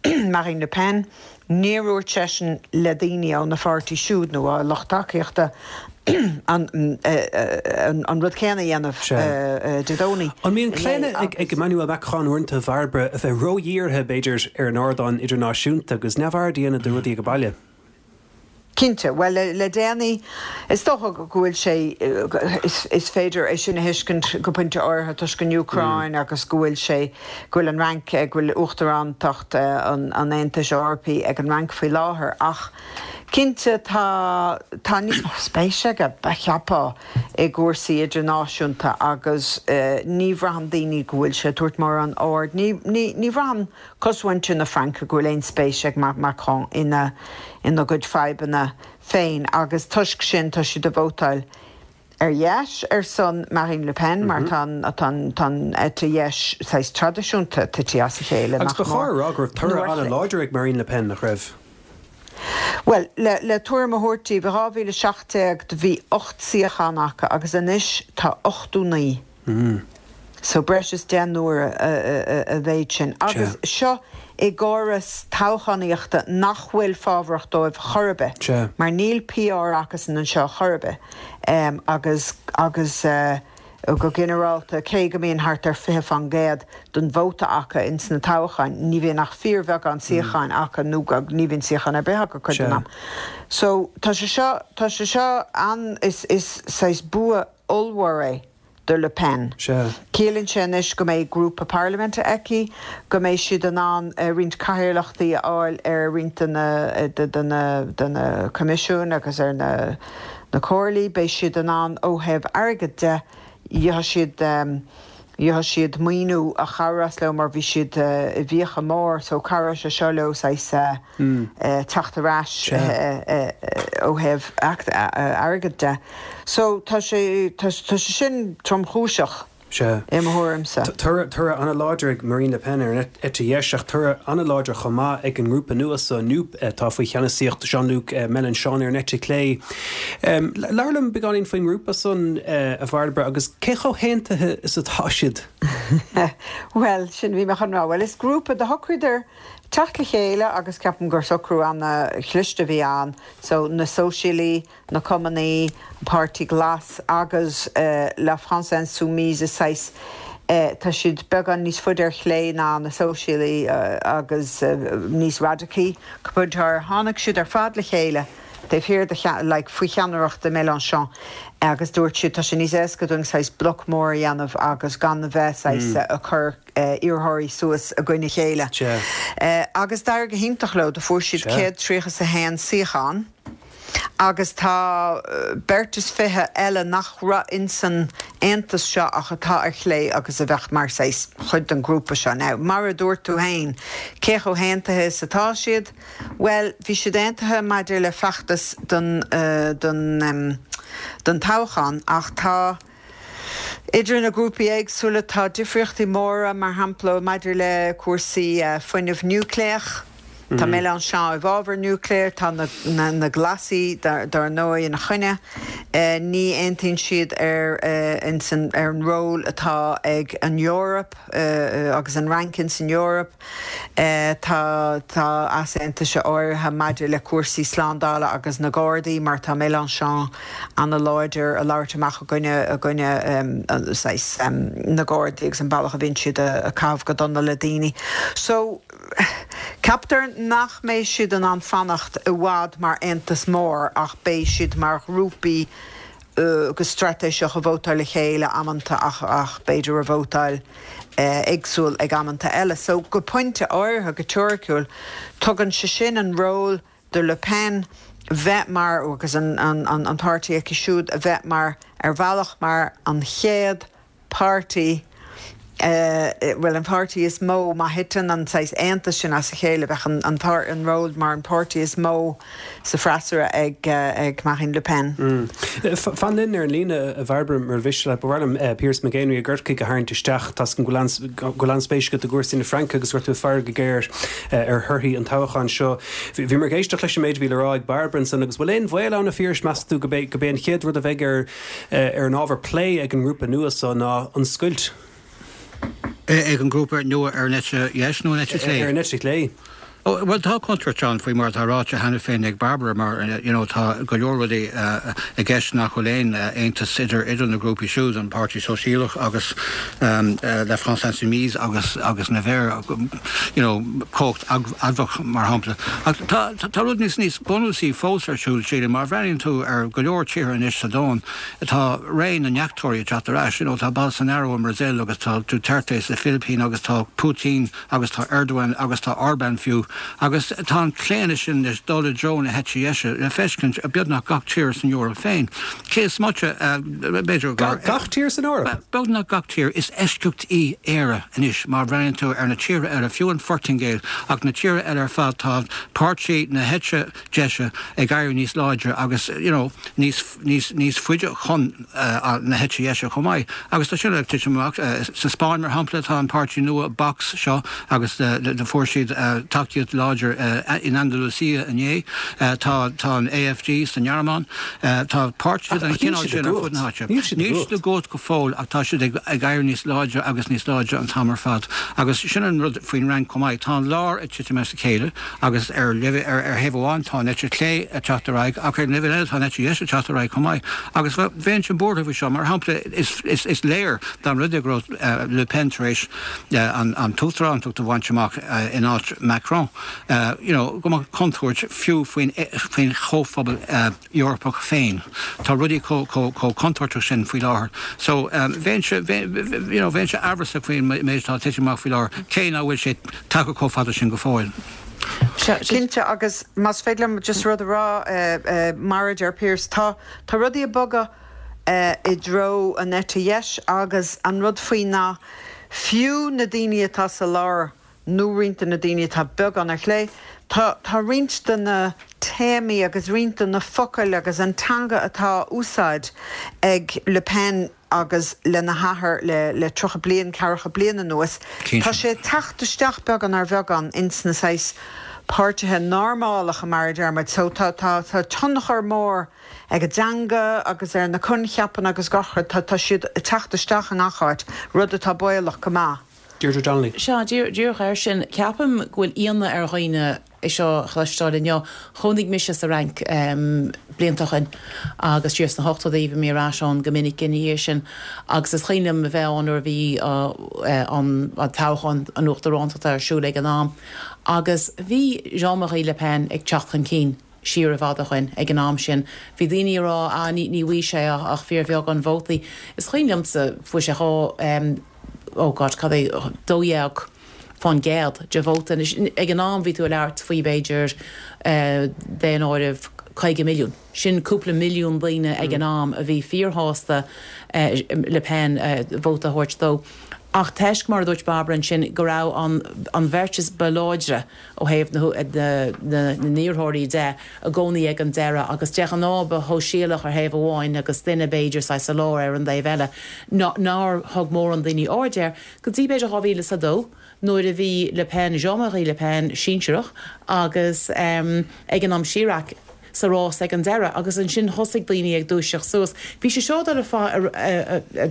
Marine Le Pen. Níor dhúirt seisean le daoine óna pháirtí siúd nó a lucht tacaíochta an an rud céanna a dhéanamh Dé Domhnaigh. An mbíonn claonadh ag Emmanuel Macron uaireanta, a Bhairbre, a bheith ródhírithe, b'fhéidir, ar an ardán idirnáisiúnta agus neamhaird a dhéanamh de rudaí ag baile? Cinnte. Bhuel, le déanaí, is dócha go bhfuil sé, is féidir é sin a thuiscint go pointe áirithe toisc an Úcráin agus go bhfuil sé, go bhfuil an Fhrainc, go bhfuil uachtarántacht an Aontais Eorpaigh ag an Fhrainc faoi láthair. Ach cinnte tá, tá níos mó spéise aige, cheapfá, i gcúrsaí idirnáisiúnta agus ní bhraitheann daoine go bhfuil sé ag tabhairt mórán aird, ní, ní, ní bhraitheann cosmhuintir na Fraince go bhfuil aon spéis ag Macron ina ina gcuid fadhbanna féin agus toisc sin tá siad ag vótáil ar dheis ar son Marine Le Pen mar tá an tá an tá an eite dheis saghas traidisiúnta tite as a chéile, Agus nach ba chóir mór. a rá go raibh Nó toradh ar chlé. an-láidir ag Marine Le Pen, nach raibh? Bhuel, le le tuairim a thabhairt daoibh, i dhá mhíle a seacht déag do bhí ocht suíochán acu agus anois tá ochtó naoi. So breis is deich n-uaire a mhéid sin. Agus seo i gcóras toghchánaíochta nach bhfuil fábharach dóibh chor ar bith, mar níl P R acusan anseo chor ar bith. Agus agus go ginearálta, cé go mbíonn thart ar fiche faoin gcéad den vóta acu ins na toghcháin, ní bhíonn ach fíorbheagán suíocháin acu nó ní bhíonn suíochán ar bith acu cuid den am. So tá sé seo, tá sé seo an, is is saghas bua ollmhór é do Le Pen. Ciallaíonn sé anois go mbeidh grúpa parlaiminte aici, go mbeidh siad in ann roinnt cathaoirleachtaí a fháil ar roinnt de na de na de na coimisiúin agus ar na na comhairlí, beidh siad in ann ó thaobh airgid de, gheobhaidh siad gheobhaidh siad maoiniú a chabhrós leo mar bhí siad i bhfiacha mór so cabhróidh sé seo leo saghas teacht ar ais ó thaobh airgid de. So tá sé tá sé sin tromchúiseach i mo thuairimse. Toradh an-láidir ag Marine Le Pen ar an eite dheis ach toradh an-láidir chomh maith ag an ngrúpa nua so N U P atá faoi cheannasaíocht Jean-Luc Mélenchon ar an eite chlé. Labhair liom beagáinín faoin ngrúpa san, a Bhairbre, agus cé chomh haontaithe is atá siad? Bhuel, sin bhí mé chun rá. Bhuel, is grúpa do shocraíodar teacht le chéile agus ceapaim gur socrú an-chliste a bhí ann. So na Sóisialaigh, na Cumannaigh, an Páirtí Glas agus La France Insoumise is saghas tá siad beagán níos faide ar chlé ná na Sóisialaigh agus níos radacaí. Go pointe tháinig siad ar fad le chéile taobh thiar de like faoi cheannaireacht Mélenchon agus dúirt siad tá sé níos éasca dúinn saghas bloc mór a dhéanamh agus gan a bheith saghas ag cur iarrthóirí suas i gcoinne a chéile. Agus d'éirigh go hiontach leo, do fuair siad céad tríocha is a haon suíochán agus tá beirt is fiche eile nach raibh insan aontas seo ach atá ar chlé agus a bheadh mar saghas chuid den ghrúpa seo. Now, mar a dúirt tú féin, cé chomh haontaithe is atá siad? Bhuel, bhí siad aontaithe maidir le feachtas don don don toghchán ach tá idir na grúpaí éagsúla tá difríochtaí móra, mar shampla maidir le cúrsaí fuinneamh núicléach. Tá Mélenchon i bhfabhar núicléir, tá na na na Glasaigh dar dar ndóigh ina choinne. Ní aontaíonn siad ar insan ar an ról atá ag an Eoraip agus an Fhrainc insan Eoraip. Tá tá easaontais áirithe maidir le cúrsaí slándála agus na Gardaí mar tá Mélenchon an-láidir ag labhairt amach i gcoinne i gcoinne saghas na Gardaí agus an bealach a bhíonn siad ag caitheamh go dona le daoine. So ceaptar nach mbeidh siad in ann fanacht i bhfad mar aontas mór ach beidh siad mar ghrúpaí go straitéiseach ag vótáil le chéile amanta ach ach b'fhéidir ag vótáil éagsúil ag amanta eile. So go pointe áirithe go teoiriciúil tugann sé sin an ról do Le Pen bheith mar agus an an an an páirtí aici siúd a bheith mar ar bhealach mar an chéad páirtí Bhuel an páirtí is mó má thiteann an saghas aontas sin as a chéile bheadh an an an ról mar an páirtí is mó sa freasúra ag ag Marine Le Pen. Fan linn ar an líne a Bhairbre mar mhiste leat, ba mhaith liom Pearse McGenery i gCorcaigh a tharraingt isteach tá go bhfuil an-spéis agat i gcúrsaí na Fraince agus go raibh tú ag faire go géar ar thorthaí an toghcháin seo. Bhí mar ag éisteacht leis an méid a bhí le rá ag Bairbre ansan agus bhfuil aon bhaol ann a Phiarais meas tú go bé go bé an chéad rud a bheidh ar ar an ábhar plé ag an ngrúpa nua so ná an scoilt. Ag an grúpa nua ar an eite dheis nó an eite chlé? Ar an eite chlé. Oh, well tá contúirt ann faoi mar atá ráite cheana féin ag Barbara mar you know, tá go leor rudaí uh, i gceist nach bhfuil aon uh, aontas idir idir na grúpaí siúd an Páirtí Sóisialach agus um, uh, La France Insoumise agus agus na Verts you know, cumhacht admhach mar shampla. Tá tá rud níos níos bunúsaí fós ar siúl sílim mar bhreathnaíonn tú ar go leor tíortha anois sa domhan tá ré na ndeachtóirí teacht ar ais, you know, tá Bolsonaro i mBrasil agus tá Duterte sa Philippines agus tá Putin agus tá Erdogan agus tá Orban fiú agus tá an claonadh sin is dul i dtreo na heite deise le feiscint beagnach gach tír san Eoraip féin. Cé is moite b'fhéidir gach tír san Eoraip? Beagnach gach tír is eisceacht í Éire anois mar bhreathnaíonn tú ar na tíortha eile fiú an Phortaingéil ach na tíortha eile ar fad tá páirtí na heite deise ag éirí níos láidre agus you know, níos níos níos faide chun uh, na heite deise chomh maith. Agus tá sin ag titim amach uh, sa Spáinn mar shampla tá an páirtí nua Vox seo agus de fuair siad uh, tacaíocht láidir uh, in Andalusia inné uh, tá tá an AfD san nGearmáin uh, tá páirtithe den chineál sin ar fud na háite. Níl siad i gcumhacht go fóill ach tá siad ag ag éirí níos láidre agus níos láidre an t-am ar fad. Agus sin an rud faoin Fhrainc chomh maith tá an lár ag titim as a chéile agus ar ar ar thaobh amháin tá an eite chlé ag teacht ar aghaidh ach ar leibhéal eile tá an eite dheis ag teacht ar aghaidh chomh maith. Agus bheinnse buartha faoi seo mar shampla is, is, is léir dá mba rud é go raibh uh, Le Pen tar éis uh, an, an t-uachtarántacht a bhaint amach uh, in áit Macron. Uh, you know, go mbeadh contúirt fiú faoin faoin chomhphobal uh, Eorpach féin. Tá rudaí chomh contúirteach sin faoi láthair. So um, bheinnse you know, bheinnse amhrasach faoin méid atá titim amach faoi láthair cé nach bhfuil sé tagtha chomh fada sin go fóill. Cinnte agus más féidir liom just rud a rá uh, uh, mar a deir Pearse tá tá rudaí ag bogadh uh, i dtreo an eite dheis agus an rud faoi ná fiú na daoine atá sa lár nó roinnt de na daoine atá beagán ar chlé, Tá tá roinnt de na téamaí agus roinnt de na focail agus an teanga atá úsáidte ag Le Pen agus lena hathair le le tríocha bliain ceathracha bliain anuas. Tá sé ag teacht isteach beagán ar bheagán ins na saghas páirtithe normálacha mar a deir muid so tá tá tá tionchar mór ag an dteanga agus ar na coincheapa agus gach rud tá tá siad ag teacht isteach i ngach áit rud atá baolach go maith. Deirdre Donnelly. Sea díreach air sin ceapaim go bhfuil ionadh ar dhaoine é seo a chloisteáil inniu. Chónaigh mise sa Fhrainc um, blianta ó shin agus siar sna hochtóidí bhí mé ar ais ann go minic ina dhiaidh sin agus is cuimhin liom a bheith ann nuair a bhí uh, an, an toghchán an uachtaránachta ar siúl ag an am. Agus bhí Jean-Marie Le Pen ag teacht chun cinn siar i bhfad ó shin ag an am sin. Bhí daoine ag rá á ní ní bhfaighidh sé ach, ach fíorbheagán vótaí. Is cuimhin liomsa fuair sé chomh um, oh God, cad é dó dhéag faoin gcéad de vóta ag an am bhí tú ag labhairt faoi b'fhéidir uh, daonáireamh caoga milliún. Sin cúpla milliún daoine ag an am a bhí fíorshásta uh, Le Pen uh, vóta a thabhairt dó. Ach toisc mar a dúirt Barbara sin go raibh an, an bheirt is ba láidre ó thaobh na, na, na n-iarrthóirí de i gcónaí ag an deireadh agus de ghnáth ba shóisialach ar thaobh amháin agus duine b'fhéidir sa lár ar an dtaobh eile nár thug mórán daoine aird air go dtí b'fhéidir dhá mhíle is a dó nuair a bhí Le Pen Jean-Marie Le Pen sinsearach agus um, ag an am Chirac sa rás ag an deireadh agus ansin thosaigh daoine ag dúiseacht suas. Bhí sé seo ar a ar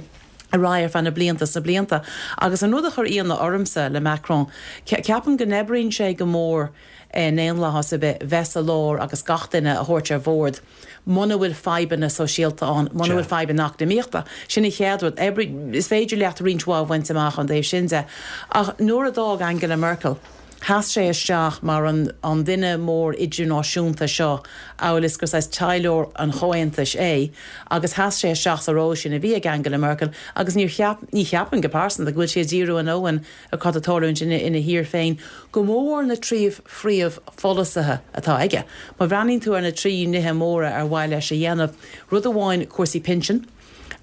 aghaidh ar feadh na blianta sa blianta. Agus an rud a chuir ionadh ormsa le Macron, ceapaim go n-oibríonn sé go mór i ndaonlathas ar bith bheith sa lár agus gach duine a thabhairt ar bord. Muna bhfuil fadhbanna sóisialta ann, muna bhfuil fadhbanna eacnamaíochta. Sin an chéad rud is féidir leat roinnt mhaith a bhaint amach an dtaobh sin de. Ach nuair a d'fhág Angela Merkel, Sheas sé isteach mar an, an duine mór idirnáisiúnta seo amhail is gur saghas taidhleoir an Chomhaontais é, agus sheas sé isteach sa ról sin a bhí ag Angela Merkel agus ní cheap, ní cheapaim go pearsanta go bhfuil sé ag díriú a ndóthain ar cad atá ag tarlúint ina, ina thír féin, go mór na trí phríomhpholasaithe atá aige. Má bhreathnaíonn tú ar na trí nithe móra ar mhaith leis a dhéanamh, rud amháin cúrsaí pinsin,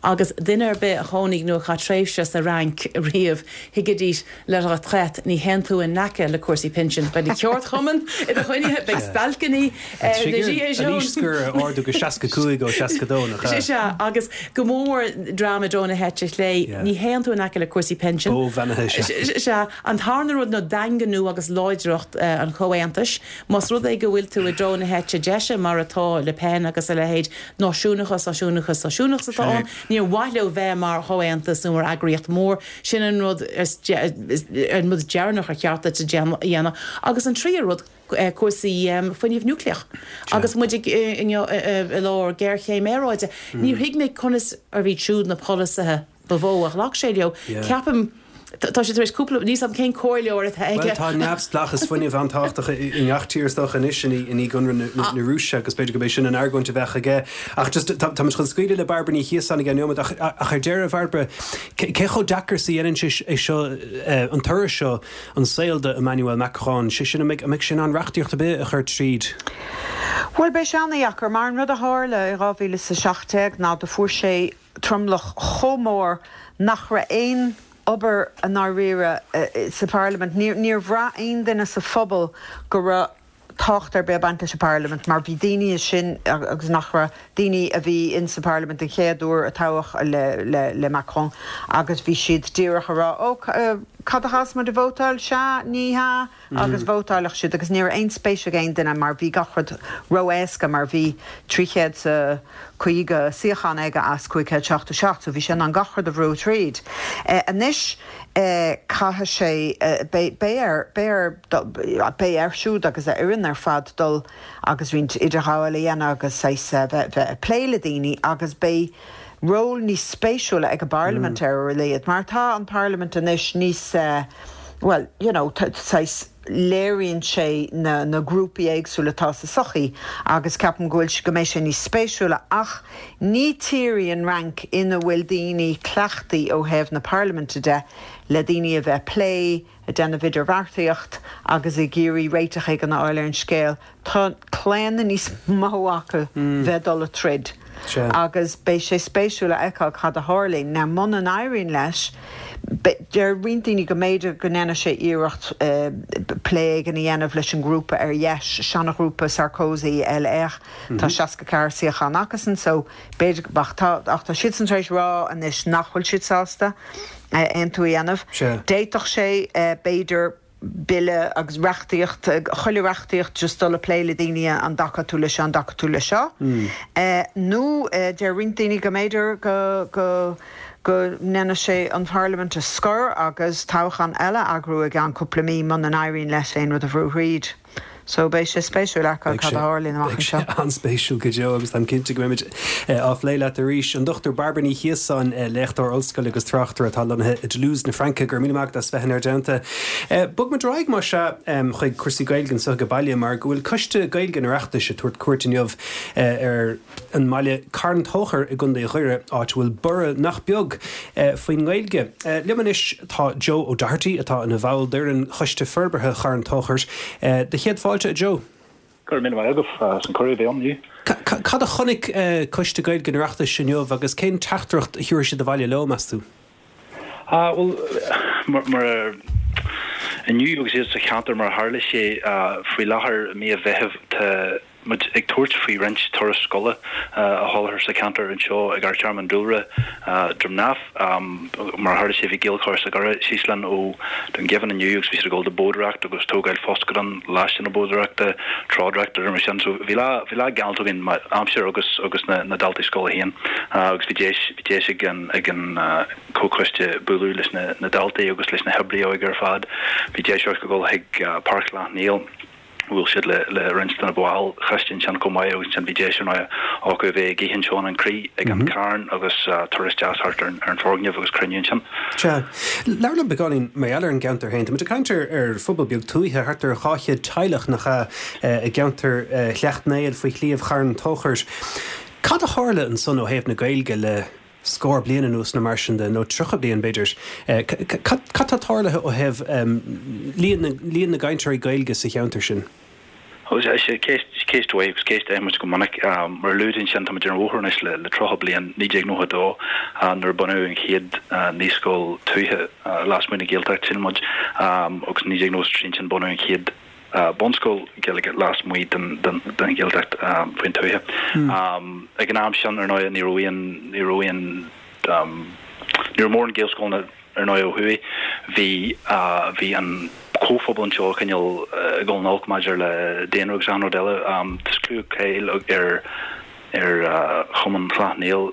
Agus duine ar bith a chónaigh nó a chaith tréimhse sa Fhrainc riamh, thuigfidís la retraite, ní théann tú in aice le cúrsaí pinsin. Beidh na ceardchumainn i do choinne, beidh stailceanna, na Gilets An aois scoir a ardú go seasca cúig ó seasca dó, nach ea? Sea, agus go mór mór dream i dtreo na heite clé, ní théann tú in aice le cúrsaí pinsin. Bó bheannaithe, sea. Sea, an tarna rud ná daingniú agus láidreacht an chomhaontais. Más rud é go bhfuil tú i dtreo na heite deise, mar atá Le Pen agus a leithéid, náisiúnachas, náisiúnachas, náisiúnachas atá ann. Níor mhaith leo bheith mar chomhaontas nó mar eagraíocht mhór. Sin an rud an rud deireanach ar cheart duit a dhéanamh. Agus an tríú rud, cúrsaí fuinnimh núicléach. Agus muid inniu i lár géarchéim aeráide, níor thuig mé conas arbh iad siúd na polasaithe ba mhó a ghlac sé leo. Ceapaim. Tá sé tar éis cúpla, níl 'fhios a'm cén comhairleoir atá aige. Bhuel, tá neamhspleáchas fuinnimh an-tábhachtach i ngach tír is dócha anois i ndiaidh ionradh na Rúise agus b'fhéidir gurb é sin an argóint a bheadh aige. Ach just, tá muid chun scaoileadh le Bairbre Ní Chiosáin i gceann neomat ach ach ar deireadh, a Bhairbre, cé chomh deacair is a dhéanann sé é seo, an toradh seo, an saol do Emmanuel Macron, sé sin, an mbeidh, an mbeidh sé in ann reachtaíocht ar bith a chur tríd? Bhuel, beidh sé an-dheacair mar an rud a tharla i dhá mhíle is a seacht déag ná do fuair sé tromlach chomh mór nach raibh aon obair i ndáiríre sa Pharlaimint. Níor bhraith aon duine sa phobal go raibh tábhacht ar bith ag baint leis an bParlaimint mar bhí daoine sin agus nach raibh, daoine a bhí in sa Pharlaimint den chéad uair a toghadh le le Macron agus bhí siad díreach ag rá ó cad a chaithfeas muid a vótáil, sea, ní hea agus vótáilfeadh siad agus ní raibh aon spéis ag aon duine mar bhí gach rud ró-éasca mar bhí trí chéad 's a caoga suíochán aige as cúig chéad seachtó seacht so bhí sé in ann gach rud a bhrú tríd. Anois caithfidh sé, beidh air, beidh air, beidh air siúd agus a fhoireann ar fad dul agus roinnt idirghabháil a dhéanamh agus saghas bheith ag plé le daoine agus beidh ról níos spéisiúla ag an bParlaimint ar a laghad mar tá an Pharlaimint anois níos, bhuel, you know, saghas léiríonn sé na na grúpaí éagsúla atá sa sochaí agus ceapaim go bhfuil go mbeidh sé níos spéisiúla ach ní tír í an Fhrainc ina bhfuil daoine cleachtaí ó thaobh na parlaiminte de le daoine a bheith ag plé, ag déanamh idirbheartaíocht agus ag iarraidh réiteach éigin a fháil ar an scéal. Tá claonadh níos mó acu bheith ag dul ag troid agus beidh sé spéisiúil a fheiceáil cad a tharlaíonn. Now muna n-éiríonn leis, deir roinnt daoine go mb'fhéidir go ndéanfaidh sé iarracht plé éigin a dhéanamh leis an ngrúpa ar dheis, seanaghrúpa Sarkozy, LR. Tá seasca ceathair suíochán acusan so b'fhéidir, ach tá, ach tá siadsan tar éis rá anois nach bhfuil siad sásta aontú a dhéanamh. D'fhéadfadh sé, b'fhéidir, bille agus reachtaíocht, chuile reachtaíocht just dul ag plé le daoine an dtacaíonn tú le seo, an dtacaíonn tú le seo. Nó deir roinnt daoine go mb'fhéidir go, go, go ndéanfaidh sé an Pharlaimint a scor agus toghchán eile a eagrú i gceann cúpla mí muna n-éiríonn leis aon rud a bhrú thríd. So beidh sé spéisiúil a fheiceáil cad a tharlaíonn amach anseo. Beidh sé an-spéisiúil go deo agus táim cinnte go mbeimid á phlé leat arís. An Dochtúir Bairbre Ní Chiosáin, léachtóir ollscoile agus tráchtaire atá lonnaithe i dToulouse na Fraince, go raibh míle maith agat as bheith inár dteannta. Bogfaimid ar aghaidh más ea chuig cúrsaí Gaeilge anseo ag baile mar go bhfuil Coiste Gaeilge an Oireachtais ag tabhairt cuairt inniu ar an mbaile Carn Tóchair i gContae Dhoire, áit a bhfuil borradh nach beag faoin nGaeilge. Liom anois tá Joe O'Doherty, atá ina bhall d'fhoireann Choiste Forbartha Charn Tóchair. Do chéad fáilte, a Joe. Go raibh míle maith agat as an cuireadh a bheith ann inniu. Cad a chonaic Coiste Gaeilge an Oireachtais inniu agus cén teachtaireacht a thiúrfaidh siad abhaile leo, meas tú? Bhuel, mar inniu agus iad sa cheantar mar a tharla sé faoi láthair i mí an Mheithimh tá muid ag tabhairt faoi roinnt turas scoile a sholáthar sa cheantar anseo ag Amharclann an Dúlra, Droim nDamh. Mar a tharla sé bhí Gaelchoiste Dhoire síos linn ó Dún Geimhin inniu agus bhí siad ag dul ag boghdóireacht agus tógáil foscadán laistigh na boghdóireachta, treodóireacht agus mar sin. So bhí lá bhí lá galánta againn aimsir agus agus na na daltaí scoile féin agus bhí deis bhí deis ag an ag an comhchoiste bualadh leis na na daltaí agus leis na hoibrithe óige ar fad. Bhí deis acu dul chuig Páirc Shleacht Néill. Bhuail siad le le roinnt de na baill choiste ansin chomh maith agus ansin bhí deis ar ndóigh acu a bheith ag ithe anseo in An Crith ag an Carn agus turas deas thart ar an foirgneamh agus cruinniú ansin. Sea. Labhair liom beagáinín mar gheall ar an gceantar féin. Tá muid ag caint ar ar phobal beag tuaithe, thart ar dhá chéad teaghlach, nach ea, i gceantar Shleacht Néill faoi Shliabh Charn Tóchair. Cad a tharla ansan ó thaobh na Gaeilge le scór bliain anuas nó mar sin de, nó tríocha bliain b'fhéidir. Cad tá tarlaithe ó thaobh líon na gcainteoirí Gaeilge sa cheantar sin? Ceist Ceist mhaith agus ceist a fhaigheann muid go minic. Mar a luaigh tú ansin, tá muid ar an bhóthar anois le tríocha bliain, naoi déag nócha a dó, nuair a bunaíodh an chéad naíscoil tuaithe lasmuigh den Ghaeltacht, sílim muid, agus naoi déag nócha a trí ansin bunaíodh an chéad bunscoil Ghaeilge lasmuigh den Ghaeltacht faoin tuaithe. Ag an am sin, ar ndóigh, ní raibh aon, ní raibh aon, ní raibh mórán Gaelscoileanna ar ndóigh ó thuaidh. Bhí, bhí an comhphobal anseo cineál ag dul in olc maidir le daonra agus achan rud eile. Tá clú cáil ar ar Chumann Chlann Néill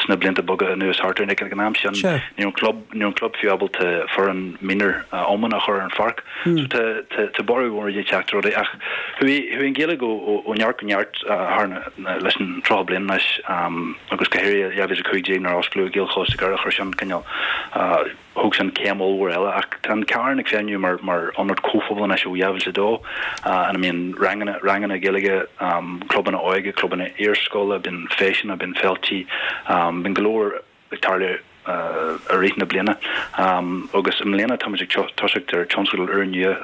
sna blianta beaga anuas thart ar ag an am sin ní raibh an club ní raibh an club fiú ábalta foireann mionúr iomána a chur ar an pháirc. So tá tá tá borradh mór ag teacht ar rudaí ach chuaigh chuaigh an Ghaeilge ó ó ó neart go neart thar na leis an tríocha bliain anois agus go háirithe dhá mhíle a cúig déag nuair a osclaíodh Gaelcholáiste Dhoire chuir sin cineál Thóg sin céim ollmhór eile ach tá an Carn ag feidhmiú mar mar ionad comhphobail anois ó dhá mhíle a dó ina mbíonn ranganna ranganna Gaeilge, clubanna óige, clubanna iarscoile, bíonn feiseanna, bíonn féiltí, bíonn go leor ag tarlú i rith na bliana. Agus i mbliana táimid ag toiseacht ar tionscadal úrnua,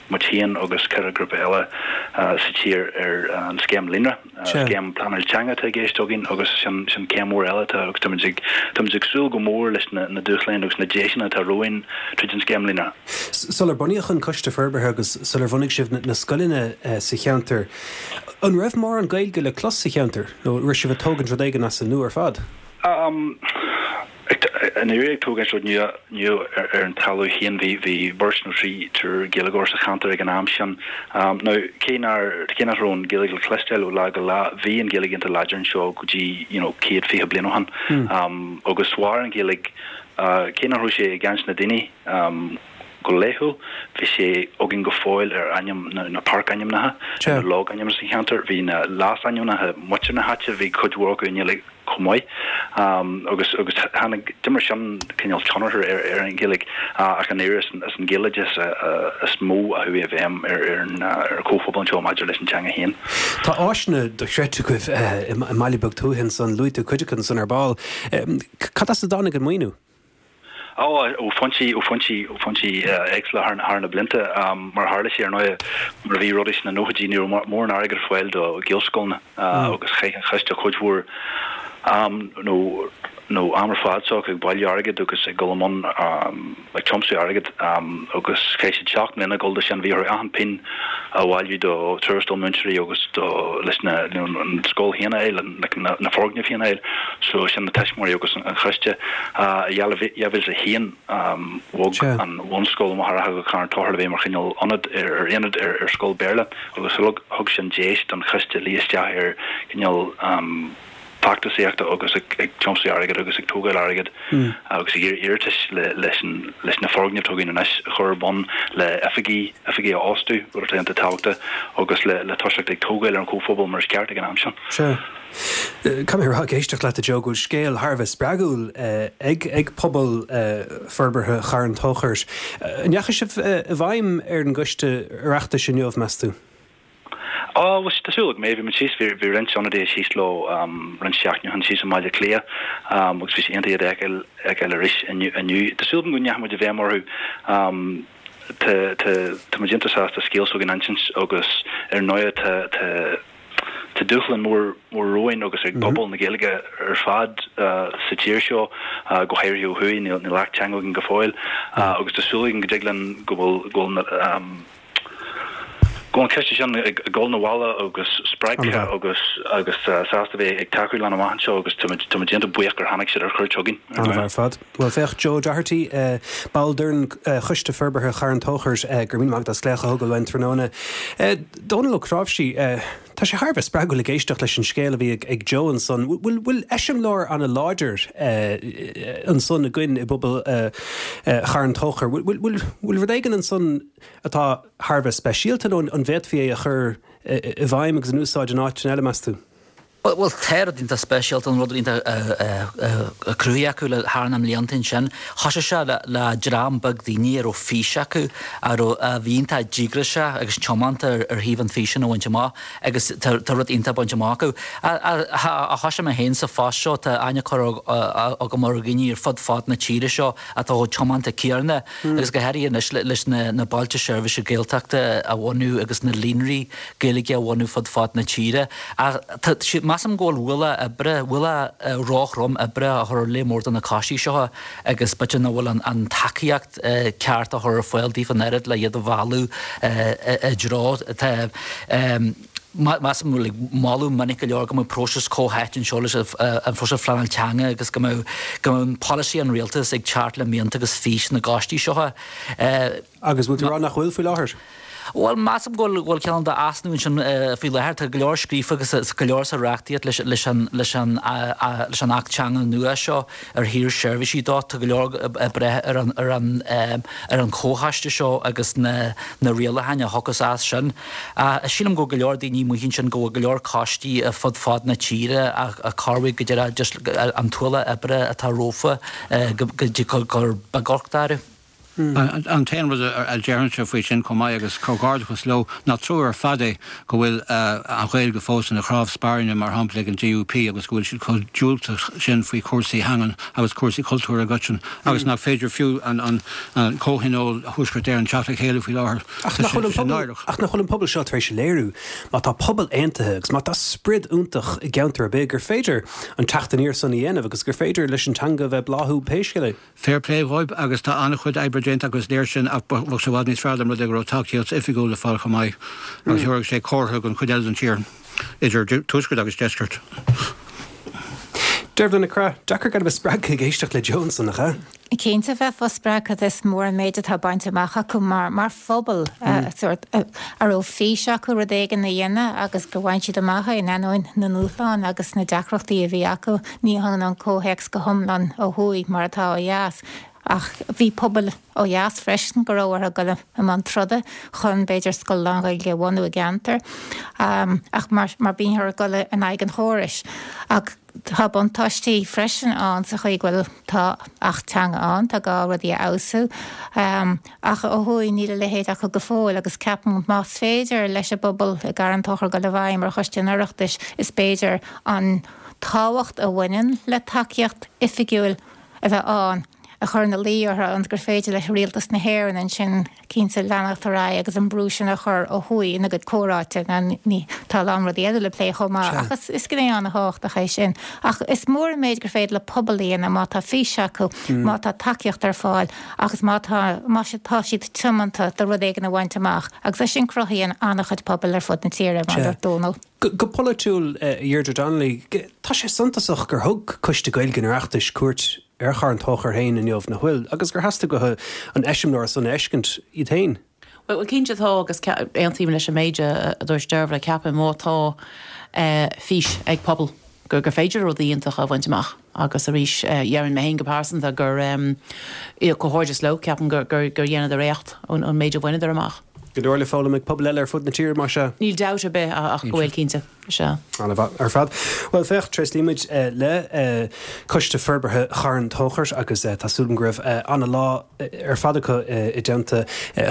muid féin agus ceithre ghrúpa eile sa tír ar an scéim Líonra. Scéim pleanáil teanga atá i gceist againn agus sin sin céim mhór eile atá agus táimid ag táimid ag súil go mór leis na na dúshláin agus na deiseanna atá romhainn tríd an scéim Líonra. Sular bunaíodh an Coiste Forbartha agus sular bhunaigh sibh na scoileanna sa cheantar, an raibh mórán Gaeilge le clos sa cheantar nó raibh sibh ag tógaint rud éigin as an nua ar fad? I ndáiríre ag tógaint rud nua nua ar an talamh féin. Bhí bhí beirt nó trí triúr Gaeilgeoir sa cheantar ag an am sin. Now cé nár cé nach raibh an Ghaeilge le cloisteáil ó lá go lá, bhí an Ghaeilge iontach láidir anseo go dtí you know céad fiche bliain ó shin. Agus mhair an Ghaeilge cé nach raibh sé i gcaint na daoine go laethúil, bhí sé againn go fóill ar ainm na na páirc-ainmneacha, ar na logainmneacha sa cheantar, bhí na leasainmneacha muintir na háite, bhí cuid mhór acu i nGaeilge chomh maith. Agus agus tháinig, d'imir sin cineál tionchar ar ar an Ghaeilge ach i ndáiríre is is an Gaeloideachas is mó a chuaigh i bhfeidhm ar ar an ar an chomhphobal anseo maidir leis an teanga féin. Tá áiseanna dochreidte agaibh i mbaile beag tuaithe ansan, luaigh tú cuid acu ansan ar ball. Cad as a dtáinig an maoiniú? Ó, ó foinsí, ó foinsí, ó foinsí éagsúla thar thar na blianta. Mar a tharla sé, ar ndóigh, mar a bhí rudaí sna nóchaidí, ní raibh mórán airgid ar fáil do Ghaelscoileanna agus chaith an choiste cuid mhór am nó nó am ar fad s'acu ag bailiú airgid agus ag dul i mbun ag tiomsú airgid agus chaith siad seacht mbliana ag dul do sin. Bhí orthu achan pingin a bhailiú do tuarastal múinteoirí agus do leis na an scoil féin a fháil, na na foirgnimh féin a fháil. So sin na tuismitheoirí agus an choiste. I dhá mhíle a haon bhog an bhunscoil ó Mhachaire Rátha go Carn Tóchair le bheith mar chineál ionad ar aonad ar ar scoil Béarla agus thug sin deis don choiste luí isteach ar chineál feachtasaíochta agus ag tiomsú airgid agus ag tógáil airgid agus ag iarraidh iarratais leis leis na foirgnimh atá againn anois a chur ar bun, le oifigí, oifigí a fhostú, rud atá iontach tábhachtach, agus le le toiseacht ag tógáil ar an chomhphobal mar is ceart ag an am sin. Sea. Caithfidh mé a rá ag éisteacht leat a Joe go bhfuil scéal thar a bheith spreagúil ag ag pobal forbartha Charn Tóchair. An ndeachaigh sibh i bhfeidhm ar an gcoiste Oireachtais inniu, meas tú? Á, bhuel, tá súil agam é. Bhí muid síos, bhí, bhí roinnt ionadaithe síos leo roinnt seachtainí ó shin síos i mBaile Átha Cliath agus bhí sé iontach iad a fheiceáil, fheiceáil arís inniu, inniu. Tá súil agam go ndeachaigh muid i bhfeidhm orthu. Tá, tá, tá muid iontach sásta scéal s'againn a insint agus ar ndóigh tá, tá, tá dúshlán mór, mór romhainn agus ag pobal na Gaeilge ar fad sa tír seo, go háirithe ó thuaidh, níl, níl Acht Teanga againn go fóill agus tá súil againn go dtig linn go bhfuil, go bhfuil na, Go bhfuil an coiste sin ag dul 'na bhaile agus spreagtha agus agus sásta bheith ag tacú linn amach anseo agus táimid táimid iontach buíoch gur tháinig siad ar chuairt chugainn. An-mhaith ar fad. Bhuel, féach, Joe Doherty, ball d'fhoireann Choiste Forbartha Charn Tóchair, go raibh míle maith agat as glaoch a thógáil uainn tráthnóna. Dónal Ó Cnáimhsí, tá sé thar a bheith spreagúil ag éisteacht leis an scéal a bhí ag Joe ansan. Bhfuil bhfuil eiseamláir an-láidir ansan againn i bpobal Charn Tóchair? Bhfuil bhfuil bhfuil rud éigin ansan atá thar a bheith speisialta nó an bhféadfaí é a chur i bhfeidhm agus in úsáid in áiteanna eile, meas tú? Bhuel, tá rud iontach speisialta, an rud iontach cruthaithe acu le thar na mblianta ansin. Thosaigh sé le dream beag daoine a raibh fís acu, a raibh, a bhí iontach díograiseach agus tiomanta ar thaobh an fís sin a bhaint amach agus tá rud iontach bainte amach acu. Ó thosaigh mé féin sa phost seo, tá aithne curtha agam ar dhaoine ar fud fad na tíre seo atá chomh tiomanta céanna agus go háirithe anois leis na bailte seirbhíse Gaeltachta a bhunú agus na líonraí Gaeilge a bhunú fud fad na tíre. Ach tá siad, measaim go bhfuil ualach oibre, ualach róthrom oibre á chur ar lear mór de na coistí seo agus b'fhéidir nach bhfuil an tacaíocht ceart á chur ar fáil daofa an oiread le iad a mhealladh i dtreo. Tá, measaim go bhfuil moladh minic go leor go mbeadh próiseas comhtháite anseo leis an phróiseas phleanáil teanga agus go mbeadh go mbeadh polasaí an rialtais ag teacht le mianta agus fís na gcoistí seo. Agus bhfuil tú ag rá nach bhfuil faoi láthair? Bhuel, measaim go bhfuil cineál d'easnamh ansin faoi láthair. Tá go leor scríofa agus go leor sa reachtaíocht leis an leis an leis an Acht Teanga nua seo ar thaobh seirbhísí dó. Tá go leor ag brath ar an ar an ar an chomhchoiste seo agus na na rialacháin a thiocfas as sin. Sílim go bhfuil go leor daoine amuigh ansin go bhfuil go leor coistí fud fad na tíre a corrmhaigh go deireadh just an t-ualach oibre atá rompu go go gur beag orthu. An t-aon rud a déarfainnse faoi sin chomh maith, agus comhghairdeachas leo, ná trua ar fad é go bhfuil an Ghaeilge fós ina chnámh spairne, mar shampla ag an DUP, agus go bhfuil siad chomh diúltach sin faoi chúrsaí teangan agus cúrsaí cultúir i gcoiteann, agus nach féidir fiú an Comhthionól Thuaisceart Éireann teacht le chéile faoi láthair. Ach nach bhfuil an pobal seo tar éis a léiriú, má tá pobal aontaithe agus má tá sprid iontach i gceantar ar bith, gur féidir an teacht aniar san a dhéanamh agus gur féidir leis an teanga bheith ag bláthú pé scéal é? Fair play dhóibh agus tá an-chuid oibre déanta acu is léir sin ach bheadh sé i bhfad níos fearr dá mba rud é go raibh tacaíocht oifigiúil le fáil chomh maith agus thabharfadh sé comhartha don chuid eile den tír, idir tuaisceart agus deisceart. Dearbhla Nic Craith, deacair gan a bheith spreagtha ag éisteacht le Joe ansan, nach ea? Cinnte bheifeá spreagtha, is mór an méid atá bainte amach acu mar mar phobal sórt a raibh fís acu rud éigin a dhéanamh agus gur bhain siad amach é in ainneoin na ndúshlán agus na deacrachtaí a bhí acu. Ní hionann an comhthéacs go hiomlán ó thuaidh mar atá ó dheas, ach bhí pobail ó dheas freisin go raibh orthu dul i mbun troda chun b'fhéidir scoil lán-Ghaeilge a bhunú i gceantar, ach mar mar bíthear ag dul in aghaidh an chórais. Ach tá buntáistí freisin ann sa chaoi go bhfuil tá Acht Teanga ann, tá gá rudaí a fheabhsú, ach ó thuaidh níl a leithéid acu go fóill agus ceapaim más féidir leis an bpobal i gCarn Tóchair dul i bhfeidhm ar Choiste an Oireachtais is b'fhéidir an tábhacht a bhaineann le tacaíocht oifigiúil a bheith ann a chur ina luí orthu ionas gur féidir le Rialtas na hÉireann ansin cinnte leanacht ar aghaidh agus an brú sin a chur ó thuaidh ina gcuid comhráite. Ní, tá a lán rudaí eile le plé chomh maith ach is, is gné an-thábhachtach é sin. Ach is mór an méid gur féidir le pobal a dhéanamh má tá fís acu, má tá tacaíocht ar fáil agus má tá, má tá siad tiomanta do rud éigin a bhaint amach agus é sin cruthaíonn an-chuid pobail ar fud na tíre, mar a dúirt Dónal. Go polaitiúil, a Dheirdre Donnelly, tá sé suntasach gur thug Coiste Gaeilge an Oireachtais cuairt ar Charn Tóchair féin inniu, nach bhfuil? Agus gur theastaigh uathu an eiseamláir san a fheiscint iad féin. Bhuel, cinnte tá agus aontaím leis an méid a dúirt Dearbhla, ceapaim má tá fís ag pobal gur gur féidir rudaí iontacha a bhaint amach agus arís déarfainn mé féin go pearsanta gur comhghairdeas leo, ceapaim gur gur dheineadar éacht ón méid a bhaineadar amach. Go leor le foghlaim ag pobail eile ar fud na tíre, más ea? Níl dabht ar bith ach go bhfuil, cinnte. Sea. An-mhaith ar fad. Bhuel, féach, tréaslaímid le Coiste Forbartha Charn Tóchair agus tá súil agam go raibh an-lá ar fad acu i dteannta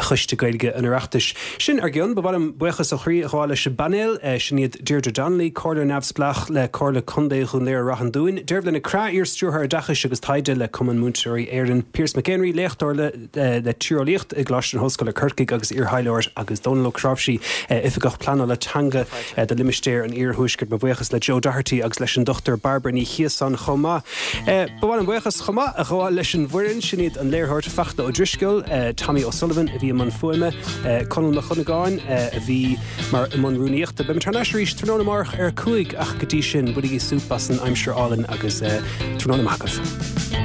Choiste Gaeilge an Oireachtais. Sin ár gcionn. Ba mhaith liom buíochas ó chroí a ghabháil leis an bpainéal. Sin iad Deirdre Donnelly, Comhairleoir Neamhspleách le Comhairle Contae Dhún Laoghaire-Rath an Dúin, Dearbhla Nic Craith, Iar-Stiúrthóir Oideachais agus Taighde le Cumann Múinteoirí Éireann, Pearse McEnery, Léachtóir le le Tíreolaíocht i gColáiste na hOllscoile Corcaigh agus iar-thaidhleoir agus Dónal Ó Cnáimhsí, Oifigeach Pleanála Teanga do Limistéar an Iarthuaiscirt. Mo bhuíochas le Joe Doherty agus leis an Dochtúir Bairbre Ní Chíosáin chomh maith. Ba mhaith liom buíochas chomh maith a ghabháil leis an bhfoireann, sin iad an léiritheoir Fachtna Ó Drisceoil, Tommy O'Sullivan a bhí i mbun fuaime, Conall Mac Dhonnagáin a bhí mar i mbun rúnaíochta. Beimid thar n-ais arís tráthnóna amárach ar a cúig ach go dtí sin, bainigí súp as an aimsir álainn agus tráthnóna maith agaibh.